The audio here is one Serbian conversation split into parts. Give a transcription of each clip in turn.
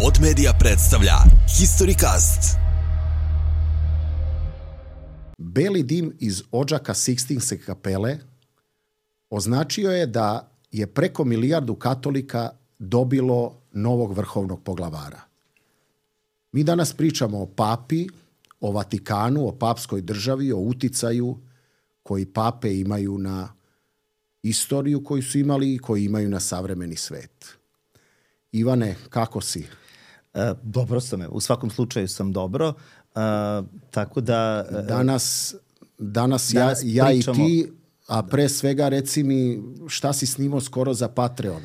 Pod Media predstavlja Historicast. Beli dim iz odžaka Sikstinske kapele označio je da je preko 1 milijardu katolika dobilo novog vrhovnog poglavara. Mi danas pričamo o papi, o Vatikanu, o papskoj državi, o uticaju koji pape imaju na istoriju koju su imali i koji imaju na savremeni svet. Ivane, kako si? Dobro sam, u svakom slučaju sam dobro. Tako da... Danas ja i ti, a pre svega reci mi šta si snimao skoro za Patreon?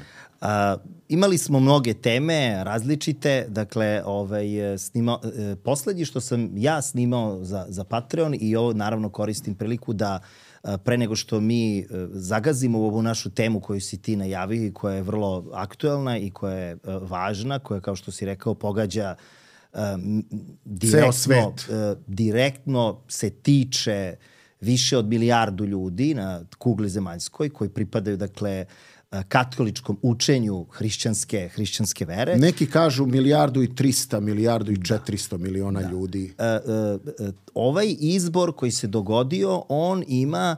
Imali smo mnoge teme, različite, dakle, poslednji što sam ja snimao za Patreon i ovo naravno koristim priliku da pre nego što mi zagazimo u ovu našu temu koju si ti najavio i koja je vrlo aktuelna i koja je važna, koja, kao što si rekao, pogađa direktno se tiče više od 1 milijardu ljudi na kugli zemaljskoj koji pripadaju, dakle, katoličkom učenju hrišćanske vere. Neki kažu 1,3 milijardu, 1,4 milijarde ljudi. Ovaj izbor koji se dogodio, on ima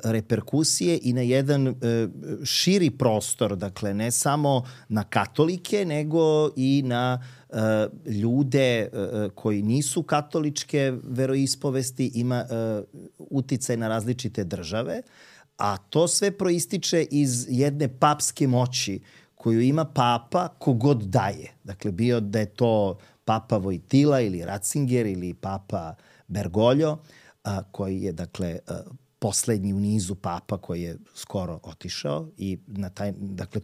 reperkusije i na jedan širi prostor, dakle ne samo na katolike, nego i na ljude koji nisu katoličke veroispovesti, ima uticaj na različite države, a to sve proističe iz jedne papske moći koju ima papa kogod daje. Dakle, bio da je to papa Vojtila ili Ratzinger ili papa Bergoglio, koji je, dakle, poslednji u nizu papa koji je skoro otišao i na taj, dakle,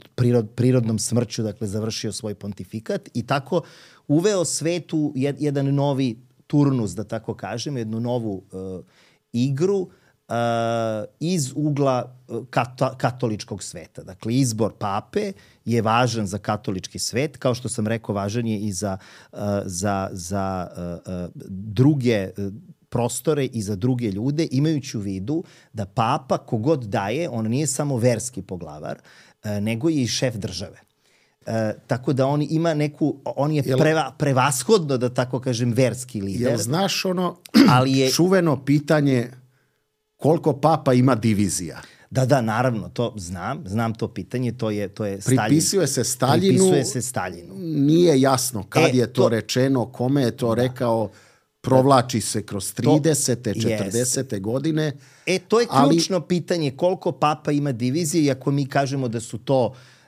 prirodnom smrću, dakle, završio svoj pontifikat i tako uveo svetu jedan novi turnus, da tako kažem, jednu novu igru iz ugla katoličkog sveta. Dakle, izbor pape je važan za katolički svet, kao što sam rekao, važan je i za druge prostore i za druge ljude, imajući u vidu da papa kogod daje, on nije samo verski poglavar, nego je i šef države. Tako da on ima on je prevashodno, da tako kažem, verski lider. Jel znaš ono čuveno pitanje koliko papa ima divizija? Da, naravno, to znam to pitanje, to je Staljin. Pripisuje se Staljinu. Nije jasno kad je to rečeno, kome je to rekao, provlači se kroz 30. 40. godine. To je ključno pitanje, koliko papa ima divizije, i ako mi kažemo da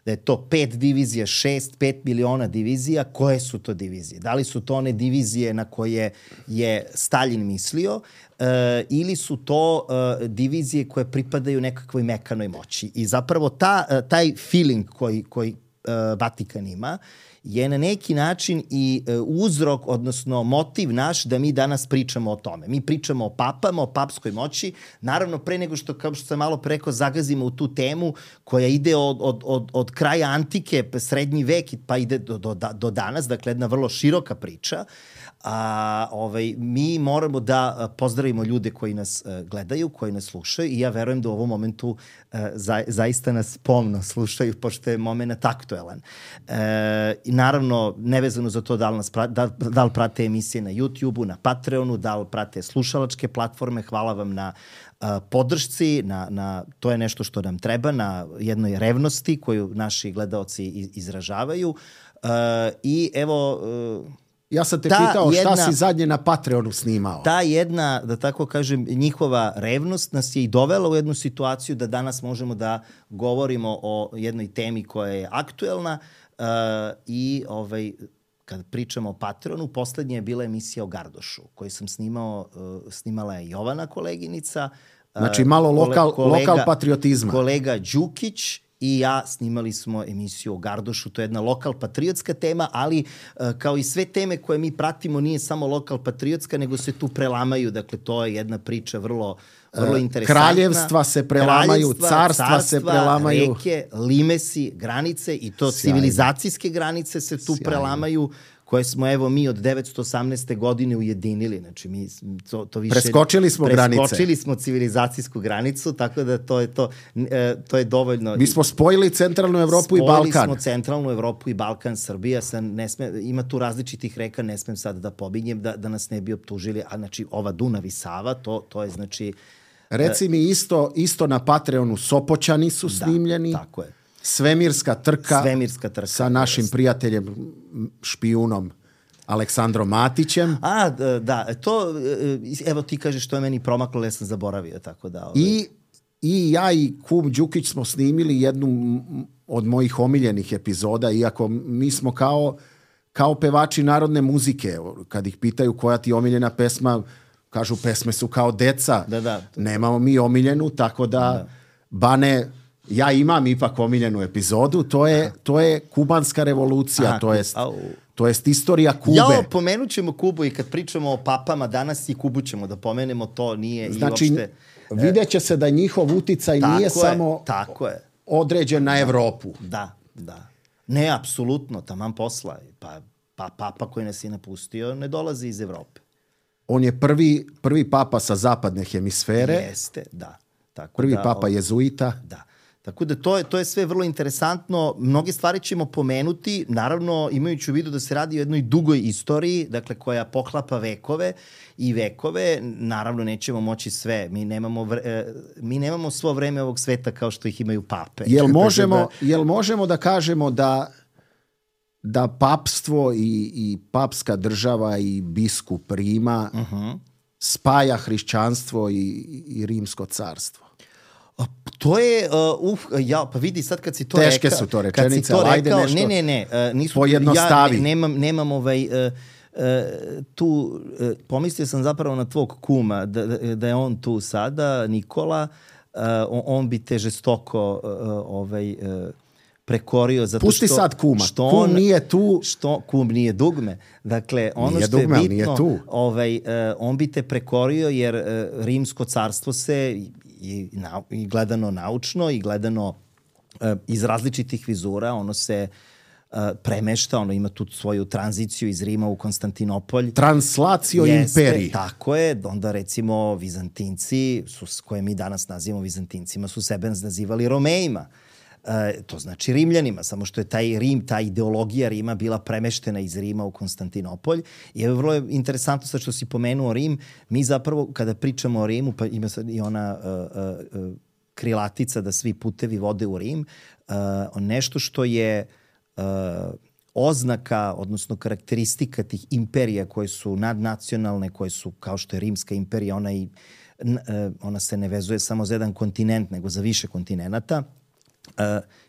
je to 5 divizija, 5 miliona divizija, koje su to divizije? Da li su to one divizije na koje je Staljin mislio ili su to divizije koje pripadaju nekakvoj mekanoj moći? I zapravo taj feeling koji Vatikan ima je na neki način i uzrok, odnosno motiv naš da mi danas pričamo o tome. Mi pričamo o papama, o papskoj moći, naravno pre nego što, kao što sam malo pre rekao, zagazimo u tu temu koja ide od kraja antike, srednji vek, pa ide do danas, dakle jedna vrlo široka priča. Mi moramo da pozdravimo ljude koji nas gledaju, koji nas slušaju, i ja verujem da u ovom momentu zaista nas pomno slušaju, pošto je moment aktuelan. Naravno, nevezano za to da li prate emisije na YouTube-u, na Patreonu, da li prate slušalačke platforme, hvala vam na podršci, to je nešto što nam treba, na jednoj revnosti koju naši gledaoci izražavaju. I evo... Ja sam te pitao šta si zadnje na Patreonu snimao. Ta jedna, da tako kažem, njihova revnost nas je i dovela u jednu situaciju da danas možemo da govorimo o jednoj temi koja je aktuelna i kad pričamo o Patreonu, poslednja je bila emisija o Gardošu koju sam snimala je Jovana koleginica. Znači malo lokal patriotizma. Kolega Đukić i ja snimali smo emisiju o Gardošu. To je jedna lokal patriotska tema, ali kao i sve teme koje mi pratimo nije samo lokal patriotska, nego se tu prelamaju. Dakle, to je jedna priča vrlo interesantna. Kraljevstva se prelamaju, carstva se prelamaju. Reke, limesi, granice i to civilizacijske granice se tu prelamaju, koje smo evo mi od 918. godine ujedinili. Znači mi to više... Preskočili smo granice. Preskočili smo civilizacijsku granicu, tako da to je dovoljno. Mi smo spojili centralnu Evropu i Balkan. Spojili smo centralnu Evropu i Balkan. Srbija ima tu različitih reka, ne smem sad da pominjem da nas ne bi optužili, a znači ova Dunav i Sava, to je znači... Reci mi isto na Patreonu Sopoćani su snimljeni. Tako je. Svemirska trka sa našim jest. prijateljem, špijunom Aleksandrom Matićem. Da, to, evo ti kažeš što je meni promaklo, ja sam zaboravio, tako da... I ja i kum Đukić smo snimili jednu od mojih omiljenih epizoda, iako mi smo kao pevači narodne muzike. Kad ih pitaju koja ti je omiljena pesma, kažu pesme su kao deca. Da. Nemamo mi omiljenu, tako da. Bane, ja imam ipak omiljenu epizodu, to je kubanska revolucija, to jest istorija Kube. Pomenut ćemo Kubu i kad pričamo o papama danas i Kubu ćemo da pomenemo, to nije znači, i uopšte... vidjet će se da njihov uticaj nije samo određen na Evropu. Da. Ne, apsolutno, taman posla. Pa papa koji nas je napustio ne dolazi iz Evrope. On je prvi papa sa zapadne hemisfere. Jeste, da. Prvi papa jezuita. Da. Tako da to je sve vrlo interesantno. Mnoge stvari ćemo pomenuti, naravno imajući u vidu da se radi o jednoj dugoj istoriji, dakle koja poklapa vekove i vekove. Naravno nećemo moći sve. Mi nemamo svo vreme ovog sveta kao što ih imaju pape. Jel možemo da kažemo da papstvo i papska država i biskup Rima spaja hrišćanstvo i rimsko carstvo? To je, pa vidi sad kad si to teške rekao... Teške su to rečenice, ali ajde nešto pojednostavi. Nemam tu, pomislio sam zapravo na tvog kuma, da je on tu sada, Nikola, on bi te žestoko prekorio zato pusti što... sad kuma, kum nije tu. Kum nije dugme. Dakle, ono nije što je dugme, bitno, nije on bi te prekorio jer rimsko carstvo se i gledano naučno i gledano iz različitih vizura, ono se premešta, ono ima tu svoju tranziciju iz Rima u Konstantinopolj. Translacio imperiji. Tako je, onda recimo Vizantinci, koje mi danas nazivamo Vizantincima, su sebe nazivali Romejima. To znači Rimljanima, samo što je taj Rim, ta ideologija Rima bila premeštena iz Rima u Konstantinopolj. I je vrlo interesantno sad što si pomenuo Rim. Mi zapravo kada pričamo o Rimu, pa ima sad i ona krilatica da svi putevi vode u Rim, nešto što je oznaka, odnosno karakteristika tih imperija koje su nadnacionalne, koje su kao što je Rimska imperija, ona se ne vezuje samo za jedan kontinent, nego za više kontinenata,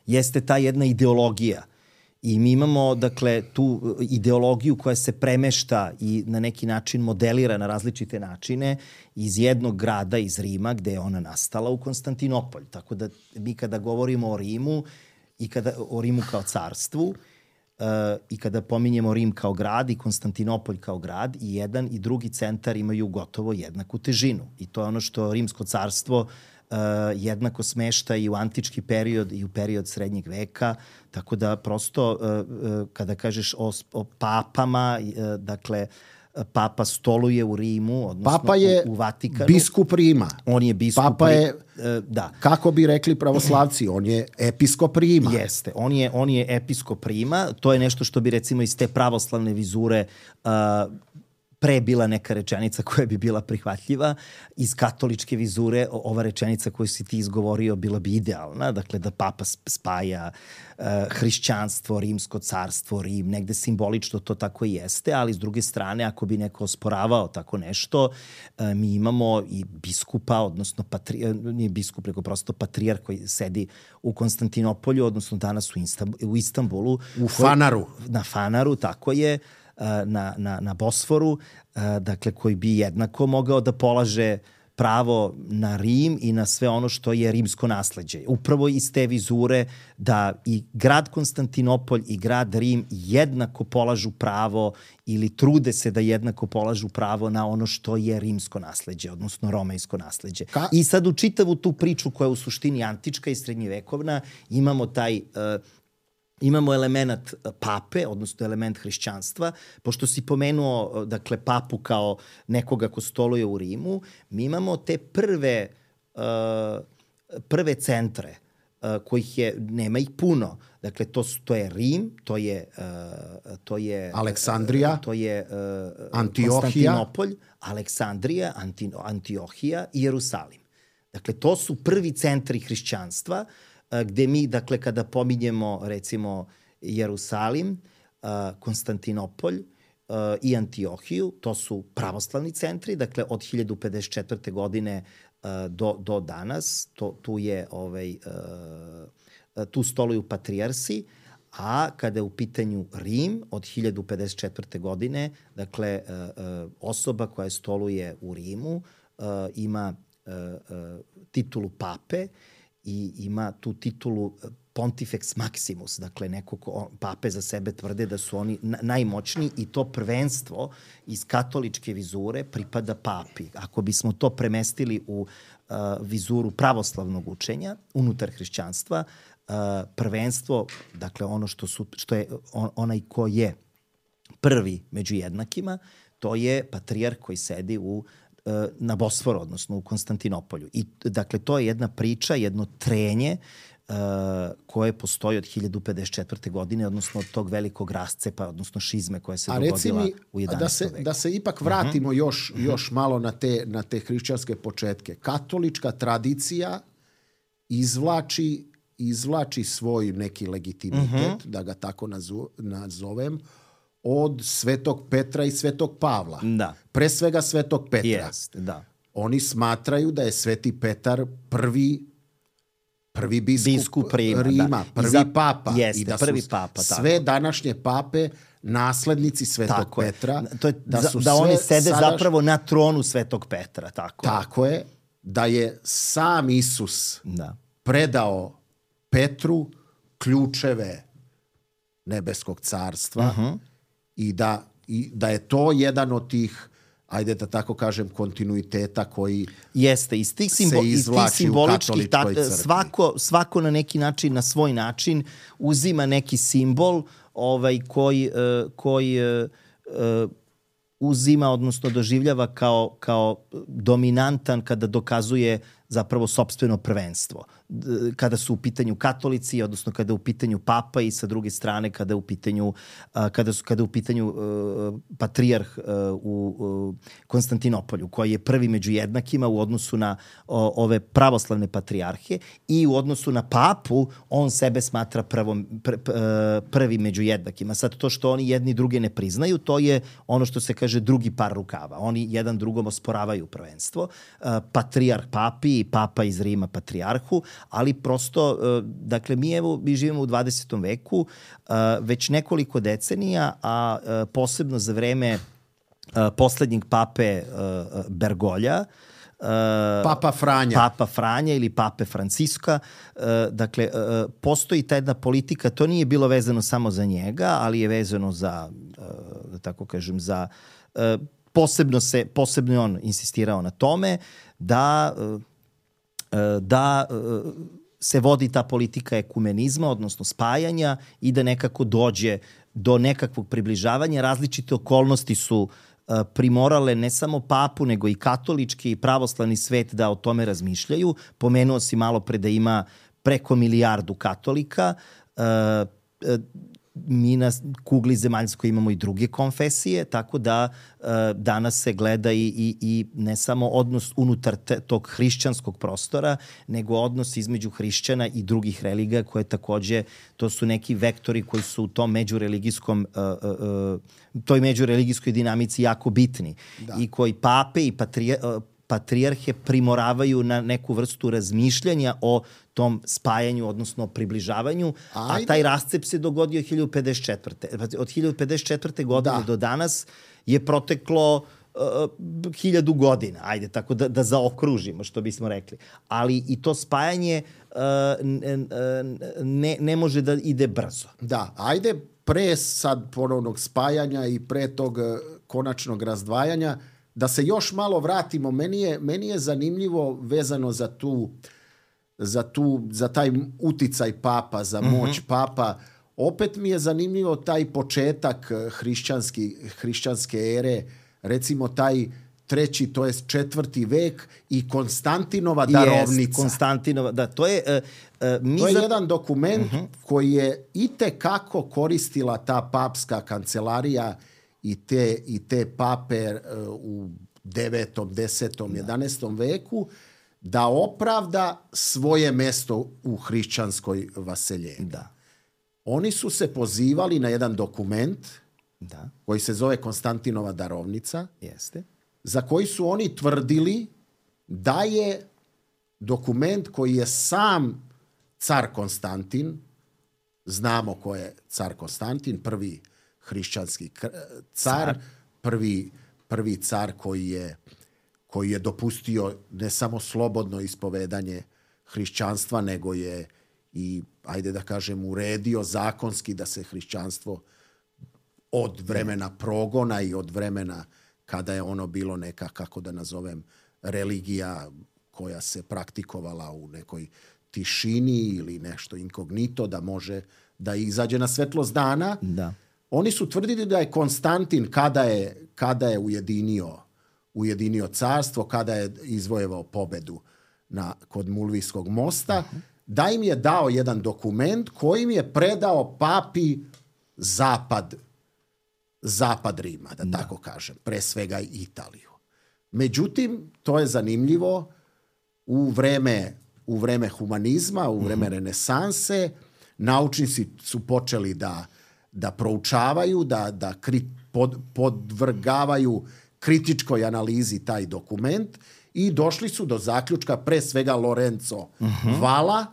jeste ta jedna ideologija. I mi imamo, dakle, tu ideologiju koja se premešta i na neki način modelira na različite načine iz jednog grada, iz Rima, gde je ona nastala, u Konstantinopolj. Tako da mi kada govorimo o Rimu i o Rimu kao carstvu i kada pominjemo Rim kao grad i Konstantinopolj kao grad, i jedan i drugi centar imaju gotovo jednaku težinu. I to je ono što Rimsko carstvo jednako smešta i u antički period i u period srednjeg veka, tako da prosto kada kažeš o papama, dakle papa stoluje u Rimu, odnosno papa je u Vatikanu. Biskup Rima. On je biskup Papa je, da. Kako bi rekli pravoslavci, on je episkop Rima. Jeste, on je episkop Rima, to je nešto što bi recimo iz te pravoslavne vizure pre bila neka rečenica koja bi bila prihvatljiva. Iz katoličke vizure ova rečenica koju si ti izgovorio bila bi idealna. Dakle, da papa spaja hrišćanstvo, rimsko carstvo, Rim. Negde simbolično to tako i jeste, ali s druge strane, ako bi neko osporavao tako nešto, mi imamo i biskupa, odnosno nije biskup, nego prosto patrijar koji sedi u Konstantinopolju, odnosno danas u Istanbulu. U Fanaru. Na Fanaru, tako je. Na Bosforu, dakle, koji bi jednako mogao da polaže pravo na Rim i na sve ono što je rimsko nasleđe. Upravo iz te vizure da i grad Konstantinopolj i grad Rim jednako polažu pravo ili trude se da jednako polažu pravo na ono što je rimsko nasleđe, odnosno romejsko nasleđe. I sad u čitavu tu priču koja je u suštini antička i srednjevekovna imamo taj imamo element pape, odnosno element hrišćanstva. Pošto si pomenuo, dakle, papu kao nekoga ko stoluje u Rimu, mi imamo te prve centre kojih nema ih puno. Dakle, to je Rim, to je Aleksandrija, to je Antiohija, Konstantinopolj, Aleksandrija, Antiohija i Jerusalim. Dakle, to su prvi centri hrišćanstva gde mi, dakle, kada pominjemo, recimo, Jerusalim, Konstantinopolj i Antiohiju, to su pravoslavni centri, dakle, od 1054. godine do danas, tu stoluju patrijarsi, a kada je u pitanju Rim od 1054. godine, dakle, osoba koja stoluje u Rimu ima titulu pape i ima tu titulu Pontifex Maximus, dakle pape za sebe tvrde da su oni najmoćniji i to prvenstvo iz katoličke vizure pripada papi. Ako bismo to premestili u vizuru pravoslavnog učenja unutar hrišćanstva, prvenstvo, dakle ono što je onaj ko je prvi među jednakima, to je patrijarh koji sedi na Bosforu, odnosno u Konstantinopolju. I dakle, to je jedna priča, jedno trenje koje postoji od 1054. godine, odnosno od tog velikog rascepa, odnosno šizme koja se dogodila u 11. veku. Da se ipak vratimo još malo na te hrišćanske početke. Katolička tradicija izvlači svoj neki legitimitet, da ga tako nazovem, od Svetog Petra i Svetog Pavla. Da. Pre svega Svetog Petra. Jest, da. Oni smatraju da je Sveti Petar prvi biskup Rima, da. prvi papa. Jeste, i da prvi su papa, sve današnje pape naslednici Svetog Petra. To je, da oni sede zapravo na tronu Svetog Petra. Tako je. Da je sam Isus predao Petru ključeve nebeskog carstva i da je to jedan od tih, ajde da tako kažem, kontinuiteta koji jeste, iz tih simboličkih svako na neki način, na svoj način uzima neki simbol koji uzima, odnosno doživljava kao dominantan kada dokazuje zapravo sopstveno prvenstvo. Kada su u pitanju katolici, odnosno kada je u pitanju papa i sa druge strane kada je u pitanju patrijarh u Konstantinopolju, koji je prvi među jednakima u odnosu na ove pravoslavne patrijarhe i u odnosu na papu on sebe smatra prvi među jednakima. Sad to što oni jedni druge ne priznaju, to je ono što se kaže drugi par rukava. Oni jedan drugom osporavaju prvenstvo. Patrijarh papi i papa iz Rima patrijarhu, ali prosto, dakle, mi živimo u 20. veku već nekoliko decenija, a posebno za vreme poslednjeg pape Bergolja, Papa Franja ili pape Franciska. Dakle, postoji ta jedna politika, to nije bilo vezano samo za njega, ali je vezano za, da tako kažem, za posebno je on insistirao na tome da se vodi ta politika ekumenizma, odnosno spajanja i da nekako dođe do nekakvog približavanja. Različite okolnosti su primorale ne samo papu, nego i katolički i pravoslavni svet da o tome razmišljaju. Pomenuo si malo pre da ima preko 1 milijardu katolika. Mi na kugli zemaljskoj imamo i druge konfesije, tako da danas se gleda i ne samo odnos unutar tog hrišćanskog prostora, nego odnos između hrišćana i drugih religija koje takođe, to su neki vektori koji su u tom toj međureligijskoj dinamici jako bitni. Da. I koji pape i patrijarhe primoravaju na neku vrstu razmišljanja o tom spajanju, odnosno približavanju, a taj rascep se dogodio 1054. Od 1054. godine do danas je proteklo 1000 godina, ajde tako da zaokružimo, što bismo rekli. Ali i to spajanje ne može da ide brzo. Da, ajde pre sad ponovnog spajanja i pre tog konačnog razdvajanja, da se još malo vratimo. Meni je zanimljivo vezano za taj uticaj papa, za moć papa. opet mi je zanimljivo taj početak hrišćanske ere, recimo taj 3. to jest 4. vek i Konstantinova darovnica. Konstantinova, da, to je... To je jedan dokument koji je itekako koristila ta papska kancelarija i te pape u 9., 10., 11. veku da opravda svoje mesto u hrišćanskoj vaseljenju. Da. Oni su se pozivali na jedan dokument koji se zove Konstantinova darovnica, za koji su oni tvrdili da je dokument koji je sam car Konstantin, znamo ko je car Konstantin, prvi hrišćanski car, prvi car koji je dopustio ne samo slobodno ispovedanje hrišćanstva, nego je i, ajde da kažem, uredio zakonski da se hrišćanstvo od vremena progona i od vremena kada je ono bilo neka, kako da nazovem, religija koja se praktikovala u nekoj tišini ili nešto inkognito da može da izađe na svetlost dana. Da. Oni su tvrdili da je Konstantin kada je ujedinio carstvo, kada je izvojevao pobedu kod Mulvijskog mosta, da im je dao jedan dokument kojim je predao papi zapad Rima, da tako kažem, pre svega Italiju. Međutim, to je zanimljivo, u vreme humanizma, u vreme renesanse, naučnici su počeli da proučavaju, da podvrgavaju kritičkoj analizi taj dokument i došli su do zaključka, pre svega Lorenzo Valla,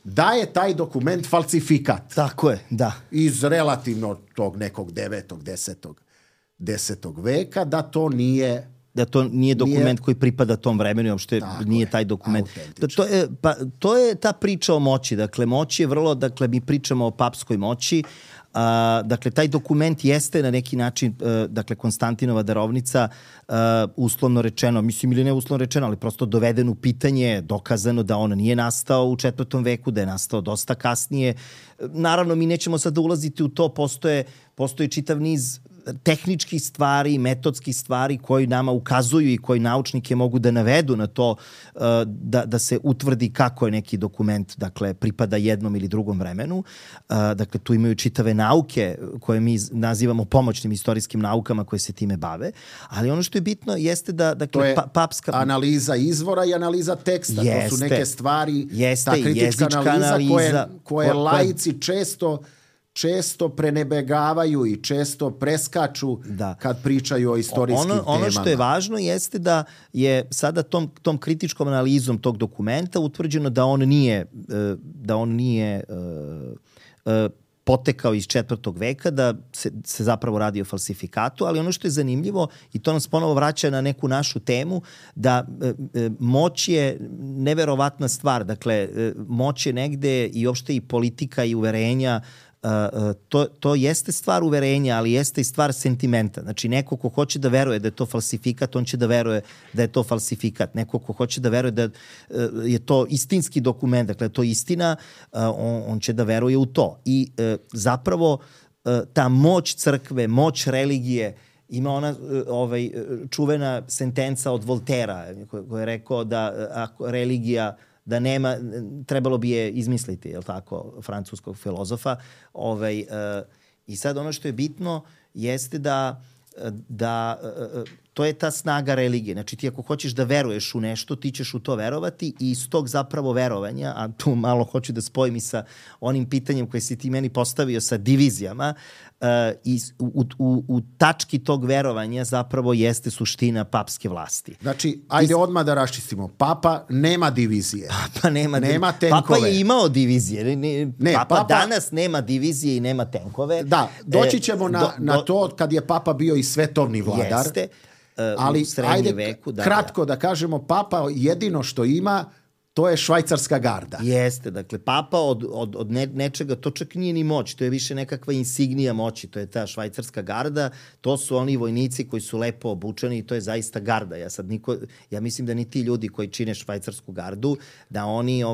da je taj dokument falsifikat. Tako je, da. Iz relativno tog nekog 9. 10. veka, da to nije dokument koji pripada tom vremenu, uopšte nije taj dokument. To je ta priča o moći. Dakle, moć je vrlo, mi pričamo o papskoj moći. Dakle, taj dokument jeste na neki način, Konstantinova darovnica, uslovno rečeno, mislim ili ne uslovno rečeno, ali prosto doveden u pitanje, dokazano da on nije nastao u 4. veku, da je nastao dosta kasnije. Naravno, mi nećemo sad ulaziti u to, postoje čitav niz tehničkih stvari, metodskih stvari koji nama ukazuju i koji naučnike mogu da navedu na to da se utvrdi kako je neki dokument, pripada jednom ili drugom vremenu. Tu imaju čitave nauke koje mi nazivamo pomoćnim istorijskim naukama koje se time bave, ali ono što je bitno jeste da to je papska analiza izvora i analiza teksta. To su neke stvari, ta kritička analiza koje laici često prenebegavaju i često preskaču kad pričaju o istorijskim temama. Ono što je važno jeste da je sada tom kritičkom analizom tog dokumenta utvrđeno da on nije potekao iz 4. veka, da se zapravo radi o falsifikatu, ali ono što je zanimljivo, i to nas ponovo vraća na neku našu temu, da moć je neverovatna stvar. Dakle, moć je negde i uopšte i politika i uverenja, to jeste stvar uverenja, ali jeste i stvar sentimenta. Znači, neko ko hoće da veruje da je to falsifikat, on će da veruje da je to falsifikat. Neko ko hoće da veruje da je to istinski dokument, dakle, to je istina, on će da veruje u to. I zapravo ta moć crkve, moć religije, ima ona čuvena sentenca od Voltera koja je rekao da ako religija da nema, trebalo bi je izmisliti, je li tako, francuskog filozofa. I sad ono što je bitno jeste da to je ta snaga religije. Znači, ti ako hoćeš da veruješ u nešto, ti ćeš u to verovati i iz tog zapravo verovanja, a tu malo hoću da spojim i sa onim pitanjem koje si ti meni postavio sa divizijama, u tački tog verovanja zapravo jeste suština papske vlasti. Znači, ajde odmah da raščistimo. Papa nema divizije. Papa nema tenkove. Papa je imao divizije. Papa danas nema divizije i nema tenkove. Da, doći ćemo na to kad je papa bio i svetovni vladar. Jeste. Ali ajde kratko da kažemo, papa jedino što ima, to je švajcarska garda. Jeste, dakle, papa od nečega, to čak nije ni moć, to je više nekakva insignija moći, to je ta švajcarska garda, to su oni vojnici koji su lepo obučeni i to je zaista garda. Ja mislim da ni ti ljudi koji čine švajcarsku gardu, da oni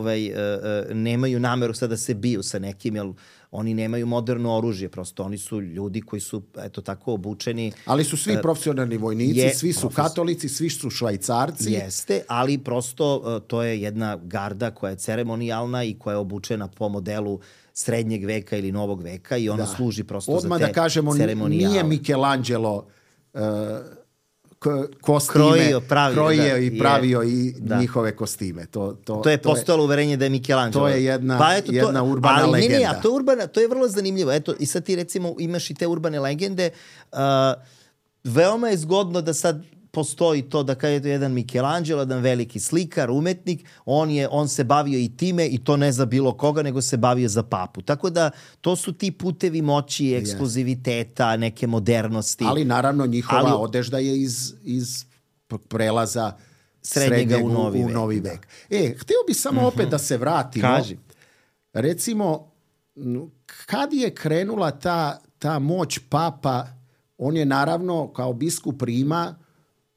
nemaju nameru sad da se biju sa nekim, jer oni nemaju moderno oružje, prosto oni su ljudi koji su, eto, tako obučeni. Ali su svi profesionalni vojnici, svi su katolici, svi su švajcarci. Jeste, ali prosto to je jedna garda koja je ceremonijalna i koja je obučena po modelu srednjeg veka ili novog veka i ona služi prosto odmah za te da kažemo, ceremonijale. nije Michelangelo kostime krojio i pravio i njihove kostime. To je postalo uverenje da je Michelangelo. To je jedna urbana legenda. To je vrlo zanimljivo. Eto, i sad ti recimo imaš i te urbane legende. Veoma je zgodno da sad postoji to da kada je to jedan Michelangelo, jedan veliki slikar, umetnik, on se bavio i time i to ne za bilo koga, nego se bavio za papu. Tako da to su ti putevi moći, ekskluziviteta, neke modernosti. Ali naravno njihova odežda je iz prelaza srednjega u novi vek. Htio bi samo opet da se vratimo. Kaži. Recimo, kad je krenula ta moć papa, on je naravno kao biskup Rima,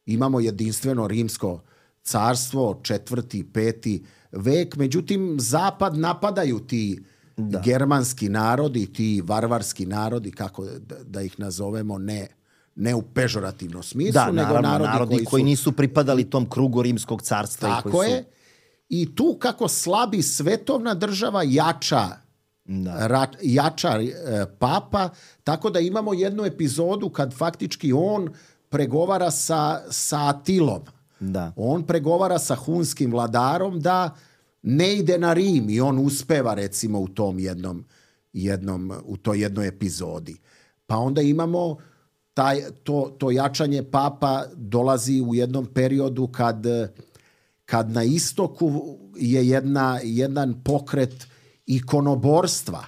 imamo jedinstveno rimsko carstvo, 4., 5. vek, međutim zapad napadaju ti germanski narodi, ti varvarski narodi, kako da ih nazovemo, ne u pežorativnom smislu, nego narodi koji nisu pripadali tom krugu rimskog carstva. Tako je. I tu kako slabi svetovna država jača papa, tako da imamo jednu epizodu kad faktički on pregovara sa Atilom. On pregovara sa hunskim vladarom da ne ide na Rim i on uspeva recimo u tom u toj jednoj epizodi. Pa onda imamo to jačanje papa dolazi u jednom periodu kad na istoku je jedan pokret ikonoborstva.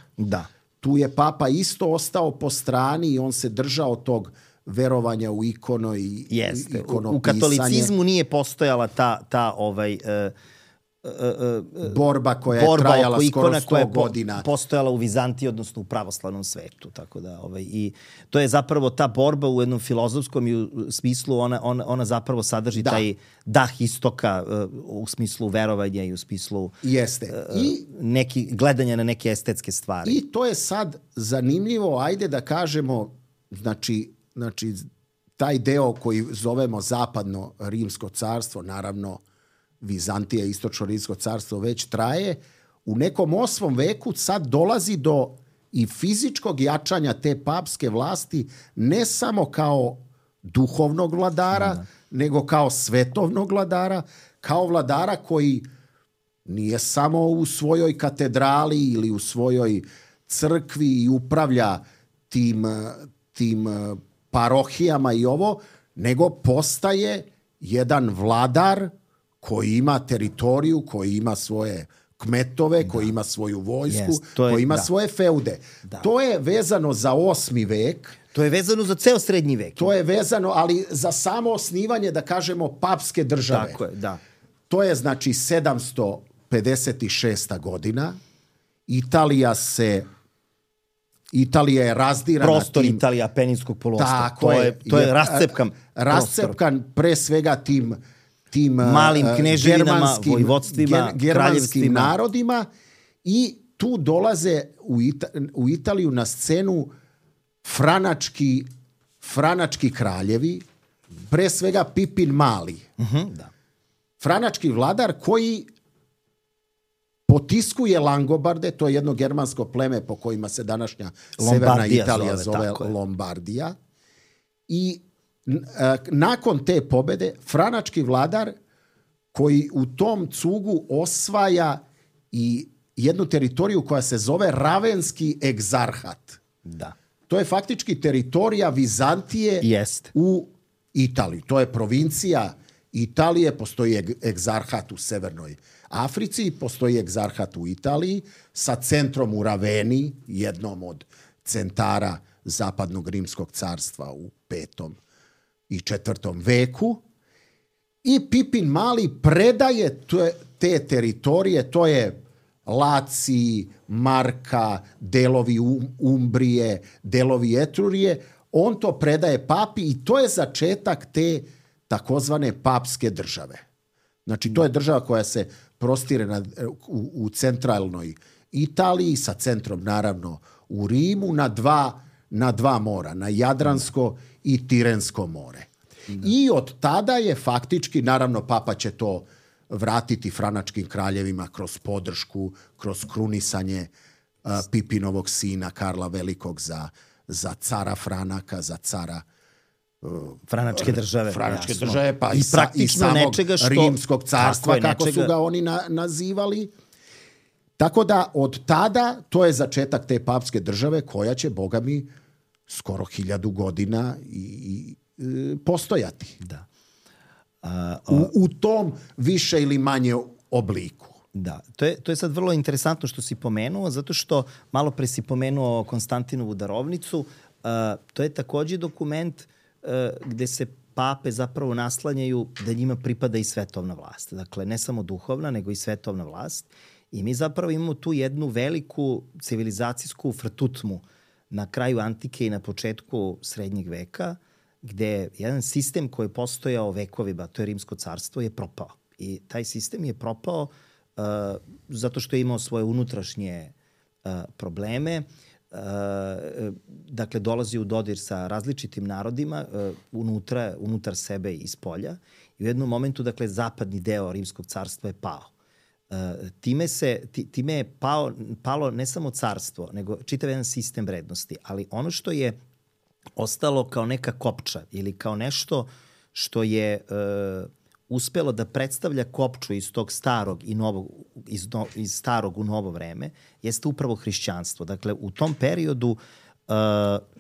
Tu je papa isto ostao po strani i on se držao tog verovanja u ikono i ikonopisanje. U katolicizmu nije postojala ta borba koja je trajala skoro 100 godina. Postojala u Vizantiji, odnosno u pravoslavnom svetu. Tako da, i to je zapravo ta borba u jednom filozofskom smislu, ona zapravo sadrži taj dah istoka u smislu verovanja i u smislu gledanja na neke estetske stvari. I to je sad zanimljivo, ajde da kažemo, znači taj deo koji zovemo zapadno rimsko carstvo, naravno Vizantija, istočno rimsko carstvo već traje, u nekom 8. veku sad dolazi do i fizičkog jačanja te papske vlasti, ne samo kao duhovnog vladara, nego kao svetovnog vladara, kao vladara koji nije samo u svojoj katedrali ili u svojoj crkvi i upravlja tim parohijama i ovo, nego postaje jedan vladar koji ima teritoriju, koji ima svoje kmetove, koji ima svoju vojsku, koji ima svoje feude. To je vezano za 8. vek. To je vezano za ceo srednji vek. To je vezano, ali za samo osnivanje, da kažemo, papske države. Tako je, da. To je, znači, 756. godina. Italija je razdirana. Prostor Italija, Peninskog poluostrva. To je rascepkan pre svega tim malim kneževinama, vojvodstvima, germanskim narodima i tu dolaze u Italiju na scenu franački kraljevi, pre svega Pipin Mali. Franački vladar koji potiskuje Langobarde, to je jedno germansko pleme po kojima se današnja severna Italija zove Lombardija. I nakon te pobede franački vladar koji u tom cugu osvaja i jednu teritoriju koja se zove Ravenski egzarhat. To je faktički teritorija Vizantije u Italiji. To je provincija Italije, postoji egzarhat u Severnoj Africi, postoji egzarhat u Italiji sa centrom u Raveni, jednom od centara zapadnog rimskog carstva u 5. i 4. veku. I Pipin Mali predaje te teritorije, to je Laci, Marka, delovi Umbrije, delovi Etrurije. On to predaje papi i to je začetak te takozvane papske države. Znači, to je država koja se prostire u centralnoj Italiji, sa centrom naravno u Rimu na dva mora, na Jadransko i Tirensko more. I od tada je faktički, naravno Papa će to vratiti franačkim kraljevima kroz podršku, kroz krunisanje Pipinovog sina Karla Velikog za cara Franaka, za cara Franačke države. Pa i samog nečega što, Rimskog carstva, kako su ga oni nazivali. Tako da od tada to je začetak te papske države koja će, Boga mi, skoro 1000 godina i postojati. Da. U tom više ili manje obliku. Da, to je sad vrlo interesantno što si pomenuo, zato što malo pre si pomenuo Konstantinovu darovnicu. To je takođe dokument gde se pape zapravo naslanjaju da njima pripada i svetovna vlast. Dakle, ne samo duhovna, nego i svetovna vlast. I mi zapravo imamo tu jednu veliku civilizacijsku frtutmu na kraju antike i na početku srednjeg veka, gde jedan sistem koji je postojao vekovima, to je Rimsko carstvo, je propao. I taj sistem je propao zato što je imao svoje unutrašnje probleme. Dakle, dolazi u dodir sa različitim narodima unutar sebe i iz polja. I u jednom momentu, dakle, zapadni deo Rimskog carstva je pao. Time je palo ne samo carstvo, nego čitav jedan sistem vrednosti. Ali ono što je ostalo kao neka kopča ili kao nešto što je uspelo da predstavlja kopču iz tog starog i novog, iz starog u novo vreme, jeste upravo hrišćanstvo. Dakle, u tom periodu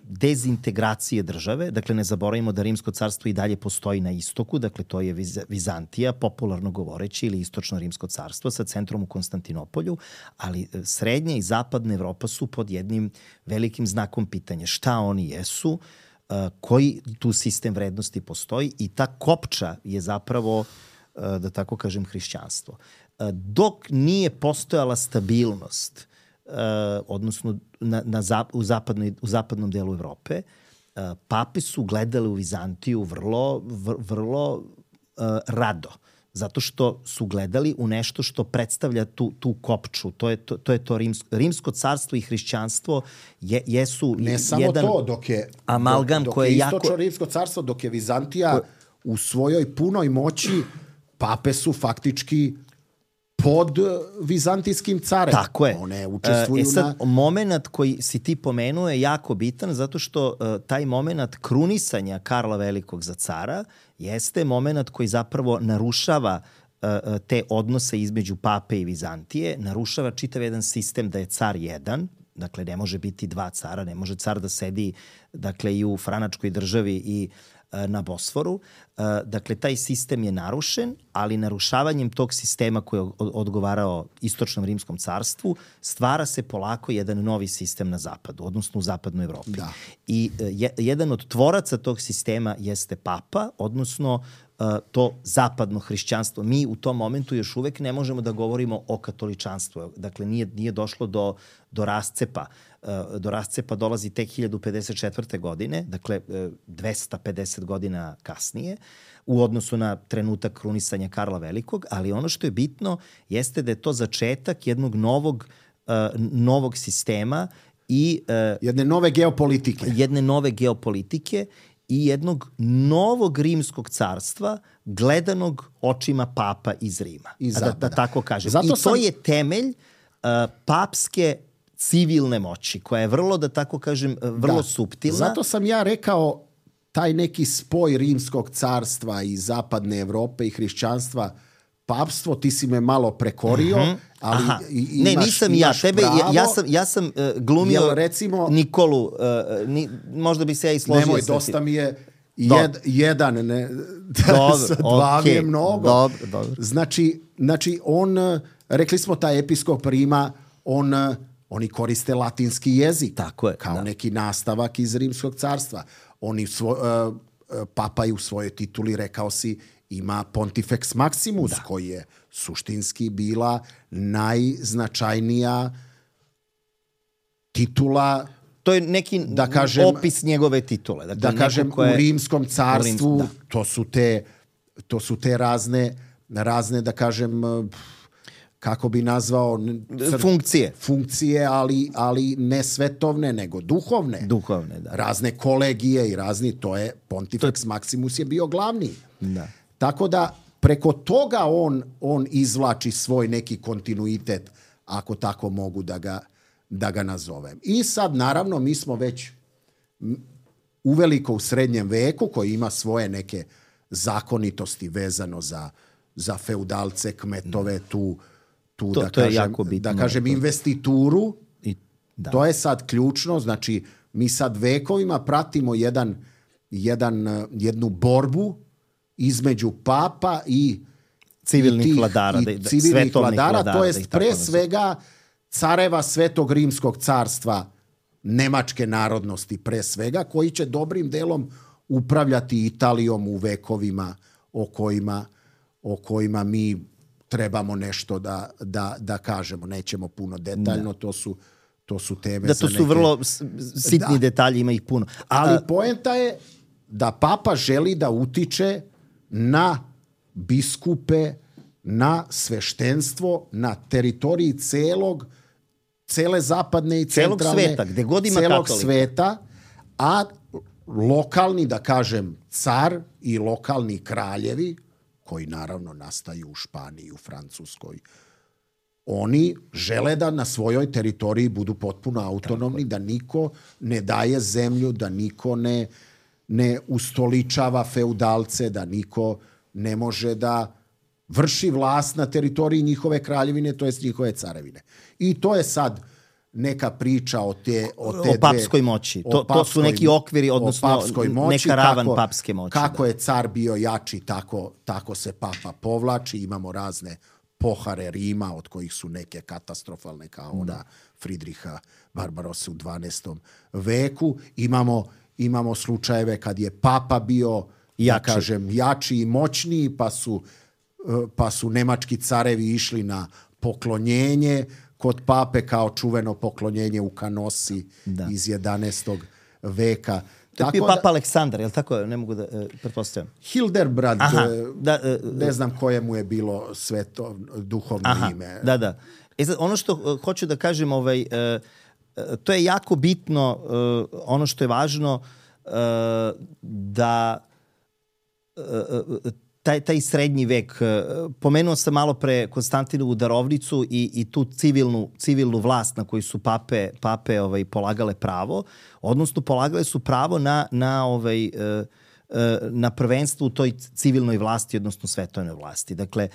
dezintegracije države, dakle ne zaboravimo da Rimsko carstvo i dalje postoji na istoku, dakle to je Vizantija, popularno govoreći, ili istočno Rimsko carstvo sa centrom u Konstantinopolju, ali srednja i zapadna Evropa su pod jednim velikim znakom pitanja. Šta oni jesu, koji tu sistem vrednosti postoji i ta kopča je zapravo, da tako kažem, hrišćanstvo. Dok nije postojala stabilnost, odnosno u zapadnom delu Evrope, pape su gledali u Vizantiju vrlo rado. Zato što su gledali u nešto što predstavlja tu kopču. To je to Rimsko carstvo i hrišćanstvo jesu ne samo jedan to, dok je amalgam koje je jako... istočno Rimsko carstvo, dok je Vizantija u svojoj punoj moći, pape su faktički pod vizantijskim carem. Tako je. One učestvuju moment koji si ti pomenuo je jako bitan zato što taj moment krunisanja Karla Velikog za cara jeste moment koji zapravo narušava te odnose između pape i Vizantije, narušava čitav jedan sistem da je car jedan, dakle ne može biti dva cara, ne može car da sedi dakle i u franačkoj državi i na Bosforu. Dakle, taj sistem je narušen, ali narušavanjem tog sistema koji je odgovarao istočnom Rimskom carstvu, stvara se polako jedan novi sistem na zapadu, odnosno u zapadnoj Evropi. Da. I jedan od tvoraca tog sistema jeste papa, odnosno to zapadno hrišćanstvo. Mi u tom momentu još uvek ne možemo da govorimo o katoličanstvu. Dakle, nije došlo do rascepa. Do rascepa dolazi tek 1054. godine, dakle 250 godina kasnije, u odnosu na trenutak krunisanja Karla Velikog, ali ono što je bitno jeste da je to začetak jednog novog sistema i jedne nove geopolitike i jednog novog rimskog carstva gledanog očima papa iz Rima. Da tako kažem. To je temelj papske civilne moći, koja je vrlo, da tako kažem, vrlo suptilna. Zato sam ja rekao taj neki spoj Rimskog carstva i zapadne Evrope i hrišćanstva, papstvo, ti si me malo prekorio, ali nisam ja. Ja sam glumio recimo, Nikolu, možda bi se ja i složio. Nemoj, dosta mi je jedan, sa dva mi je mnogo. Dobro. Znači, rekli smo taj episkop Rima, oni koriste latinski jezik. Tako je, kao neki nastavak iz Rimskog carstva. Papa je u svojoj tituli, rekao si, ima Pontifex Maximus, koji je suštinski bila najznačajnija titula. To je neki opis njegove titule. Dakle, da kažem, u Rimskom carstvu, to su te razne, da kažem, kako bi nazvao funkcije, ali ne svetovne, nego duhovne. Duhovne, da. Razne kolegije i razni, to je Pontifex Maximus je bio glavni. Da. Tako da preko toga on izvlači svoj neki kontinuitet, ako tako mogu da ga nazovem. I sad, naravno, mi smo već uveliko u srednjem veku, koji ima svoje neke zakonitosti vezano za feudalce, kmetove, tu da kažem investituru. To je sad ključno. Znači, mi sad vekovima pratimo jednu borbu između papa i civilnih vladara, to jest pre svega careva Svetog Rimskog carstva, nemačke narodnosti pre svega, koji će dobrim delom upravljati Italijom u vekovima o kojima mi trebamo nešto da kažemo. Nećemo puno detaljno, to su teme to su vrlo sitni detalji, ima ih puno. Ali poenta je da papa želi da utiče na biskupe, na sveštenstvo, na teritoriji cele zapadne i centralne, sveta, gde god ima celog katolika. Sveta, a lokalni, da kažem, car i lokalni kraljevi, koji naravno nastaju u Španiji, u Francuskoj, oni žele da na svojoj teritoriji budu potpuno autonomni, da niko ne daje zemlju, da niko ne ustoličava feudalce, da niko ne može da vrši vlast na teritoriji njihove kraljevine, to jest njihove carevine. I to je sad neka priča o papskoj moći. To su neki okviri, odnosno neka ravan papske moći. Kako je car bio jači, tako se papa povlači. Imamo razne pohare Rima, od kojih su neke katastrofalne, kao ona Fridriha Barbarossa u 12. veku. Imamo slučajeve kad je papa bio jači i moćniji, pa su nemački carevi išli na poklonjenje kod pape, kao čuveno poklonjenje u Canosi iz 11. veka. To je bio papa Aleksandar, je li tako? Ne mogu da pretpostavljam. Hildebrand, ne znam koje mu je bilo sveto duhovno ime. Da. Sad, ono što hoću da kažem, to je jako bitno, ono što je važno, da taj srednji vek, pomenuo sam malo pre Konstantinovu darovnicu i tu civilnu vlast na koju su pape polagale pravo, odnosno polagale su pravo na prvenstvo u toj civilnoj vlasti, odnosno svetovnoj vlasti. Dakle,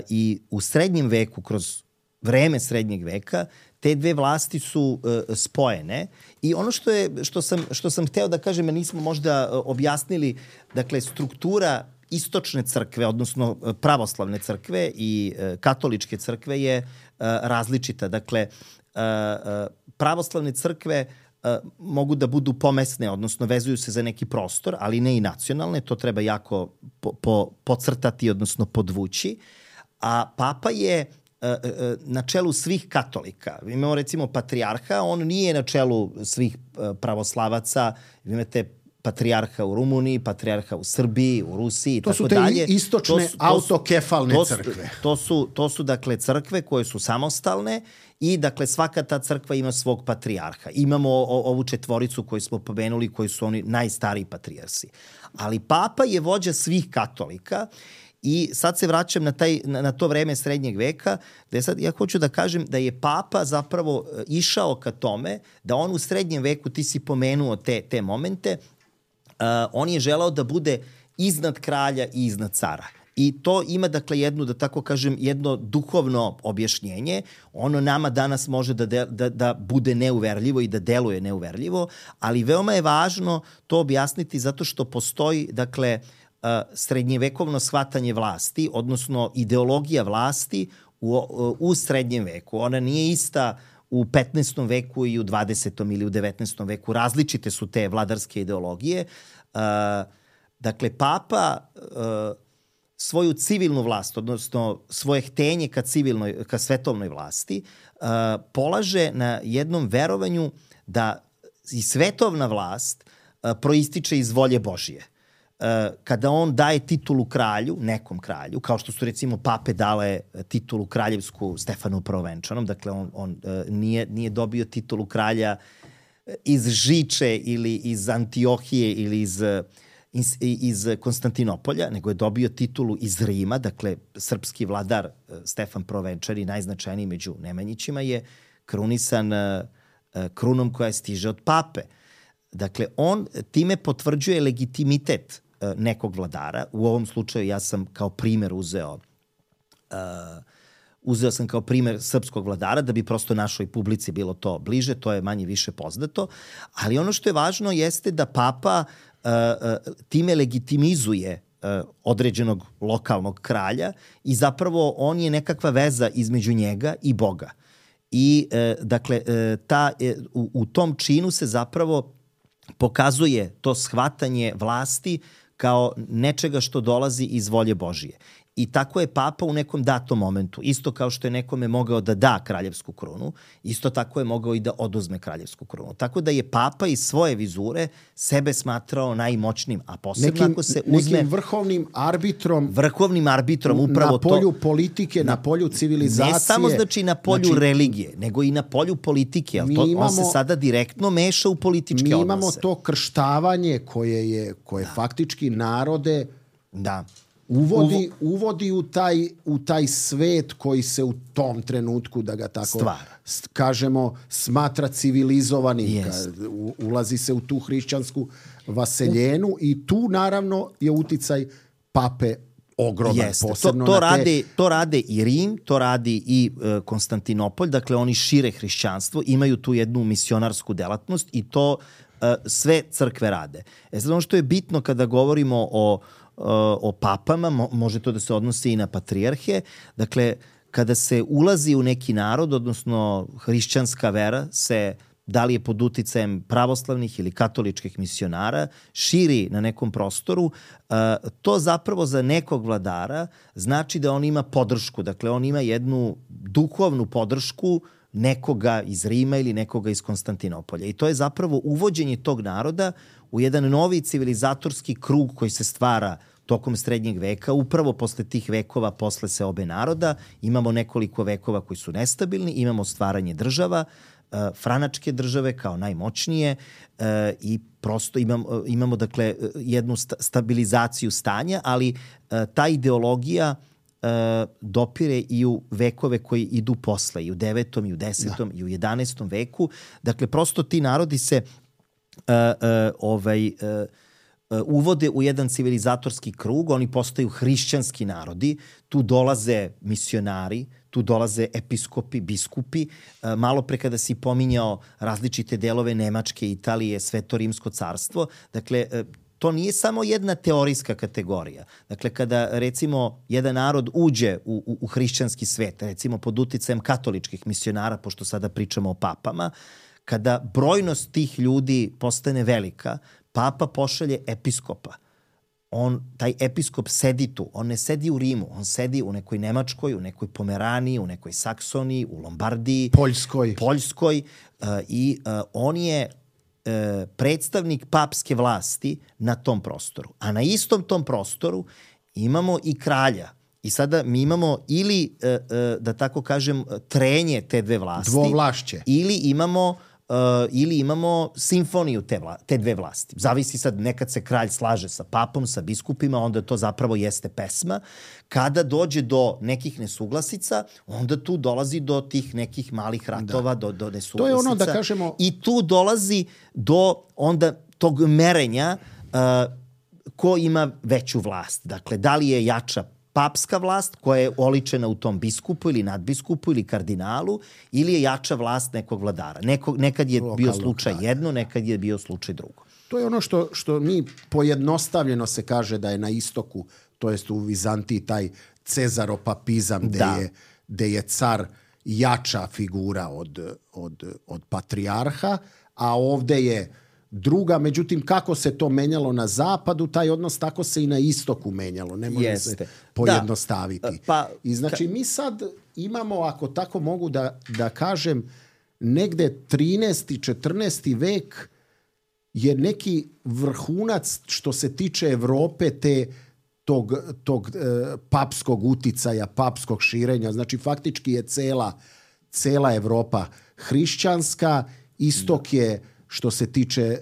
i u srednjem veku, kroz vreme srednjeg veka, te dve vlasti su spojene i ono što sam hteo da kažem, a nismo možda objasnili, dakle, struktura istočne crkve, odnosno pravoslavne crkve i katoličke crkve je različita. Dakle, pravoslavne crkve mogu da budu pomesne, odnosno vezuju se za neki prostor, ali ne i nacionalne, to treba jako podcrtati, odnosno podvući. A papa je na čelu svih katolika. Imamo recimo patrijarha, on nije na čelu svih pravoslavaca, imate patrijarha u Rumuniji, patrijarha u Srbiji, u Rusiji i tako dalje. To su te istočne autokefalne crkve. To su dakle crkve koje su samostalne i dakle svaka ta crkva ima svog patrijarha. Imamo ovu četvoricu koju smo pomenuli, koji su oni najstariji patrijarsi. Ali papa je vođa svih katolika. I sad se vraćam na to vreme srednjeg veka, gde sad ja hoću da kažem da je papa zapravo išao ka tome da on u srednjem veku, ti si pomenuo te momente, on je želao da bude iznad kralja i iznad cara. I to ima, dakle, jedno duhovno objašnjenje. Ono nama danas može da bude neuverljivo i da deluje neuverljivo, ali veoma je važno to objasniti zato što postoji, dakle, srednjevekovno shvatanje vlasti, odnosno ideologija vlasti u srednjem veku. Ona nije ista u 15. veku i u 20. ili u 19. veku. Različite su te vladarske ideologije. Dakle, papa svoju civilnu vlast, odnosno svoje htenje ka svetovnoj vlasti, polaže na jednom verovanju da i svetovna vlast proističe iz volje Božije. kada on daje titulu kralju, nekom kralju, kao što su recimo pape dale titulu kraljevsku Stefanu Prvovenčanom, dakle on nije dobio titulu kralja iz Žiče ili iz Antiohije ili iz Konstantinopolja, nego je dobio titulu iz Rima, dakle srpski vladar Stefan Prvovenčani, najznačajniji među Nemanjićima, je krunisan krunom koja stiže od pape. Dakle, on time potvrđuje legitimitet nekog vladara. U ovom slučaju ja sam kao primer uzeo sam kao primer srpskog vladara da bi prosto našoj publici bilo to bliže, to je manje više poznato, ali ono što je važno jeste da papa time legitimizuje određenog lokalnog kralja i zapravo on je nekakva veza između njega i Boga. I dakle, u tom činu se zapravo pokazuje to shvatanje vlasti kao nečega što dolazi iz volje Božije. I tako je papa u nekom datom momentu, isto kao što je nekome mogao da da kraljevsku krunu, isto tako je mogao i da oduzme kraljevsku krunu. Tako da je papa iz svoje vizure sebe smatrao najmoćnim, a posebno ako se uzme... Nekim vrhovnim arbitrom upravo to... Na polju politike, na polju civilizacije. Ne samo znači na polju religije, nego i na polju politike. On se sada direktno meša u političke odnose. Mi imamo to krštavanje koje faktički narode... Da. Uvodi u taj svet koji se u tom trenutku, da ga tako kažemo, smatra civilizovanim. Ulazi se u tu hrišćansku vaseljenu i tu naravno je uticaj pape ogroman. To rade i Rim, to radi i Konstantinopolj, dakle oni šire hrišćanstvo, imaju tu jednu misionarsku delatnost i to sve crkve rade. Sad ono što je bitno kada govorimo o papama, može to da se odnosi i na patrijarhe. Dakle, kada se ulazi u neki narod, odnosno hrišćanska vera se, da li je pod uticajem pravoslavnih ili katoličkih misionara, širi na nekom prostoru, to zapravo za nekog vladara znači da on ima podršku. Dakle, on ima jednu duhovnu podršku nekoga iz Rima ili nekoga iz Konstantinopolja. I to je zapravo uvođenje tog naroda u jedan novi civilizatorski krug koji se stvara tokom srednjeg veka. Upravo posle tih vekova, posle seobe naroda, imamo nekoliko vekova koji su nestabilni, imamo stvaranje država, franačke države kao najmoćnije i prosto imamo dakle jednu stabilizaciju stanja, ali ta ideologija dopire i u vekove koji idu posle, i u 9. i u 10. i u 11. veku. Dakle, prosto ti narodi se uvode u jedan civilizatorski krug, oni postaju hrišćanski narodi, tu dolaze misionari, tu dolaze episkopi, biskupi. Malo pre kada si pominjao različite delove Nemačke, Italije, Sveto rimsko carstvo, dakle, to nije samo jedna teorijska kategorija. Dakle, kada recimo jedan narod uđe u hrišćanski svet, recimo pod uticajem katoličkih misionara, pošto sada pričamo o papama, kada brojnost tih ljudi postane velika, papa pošalje episkopa. Taj episkop sedi tu. On ne sedi u Rimu, on sedi u nekoj Nemačkoj, u nekoj Pomeraniji, u nekoj Saksoniji, u Lombardiji, Poljskoj i on je predstavnik papske vlasti na tom prostoru. A na istom tom prostoru imamo i kralja. I sada mi imamo ili, da tako kažem, trenje te dve vlasti. Dvovlašće. Ili imamo simfoniju te dve vlasti. Zavisi sad, nekad se kralj slaže sa papom, sa biskupima, onda to zapravo jeste pesma. Kada dođe do nekih nesuglasica, onda tu dolazi do tih nekih malih ratova, do nesuglasica. To je ono da kažemo... I tu dolazi do onda tog merenja ko ima veću vlast. Dakle, da li je jača papska vlast koja je oličena u tom biskupu ili nadbiskupu ili kardinalu, ili je jača vlast nekog vladara. Nekad je bio slučaj jedno, nekad je bio slučaj drugo. To je ono što mi pojednostavljeno se kaže da je na istoku, to jest u Vizantiji, taj cezaropapizam gde je car jača figura od patrijarha, a ovde je druga. Međutim, kako se to menjalo na zapadu, taj odnos tako se i na istoku menjalo. Ne može se pojednostaviti. I znači mi sad imamo, ako tako mogu da kažem, negde 13. 14. vek je neki vrhunac što se tiče Evrope tog papskog uticaja, papskog širenja. Znači, faktički je cela Evropa hrišćanska, istok je, što se tiče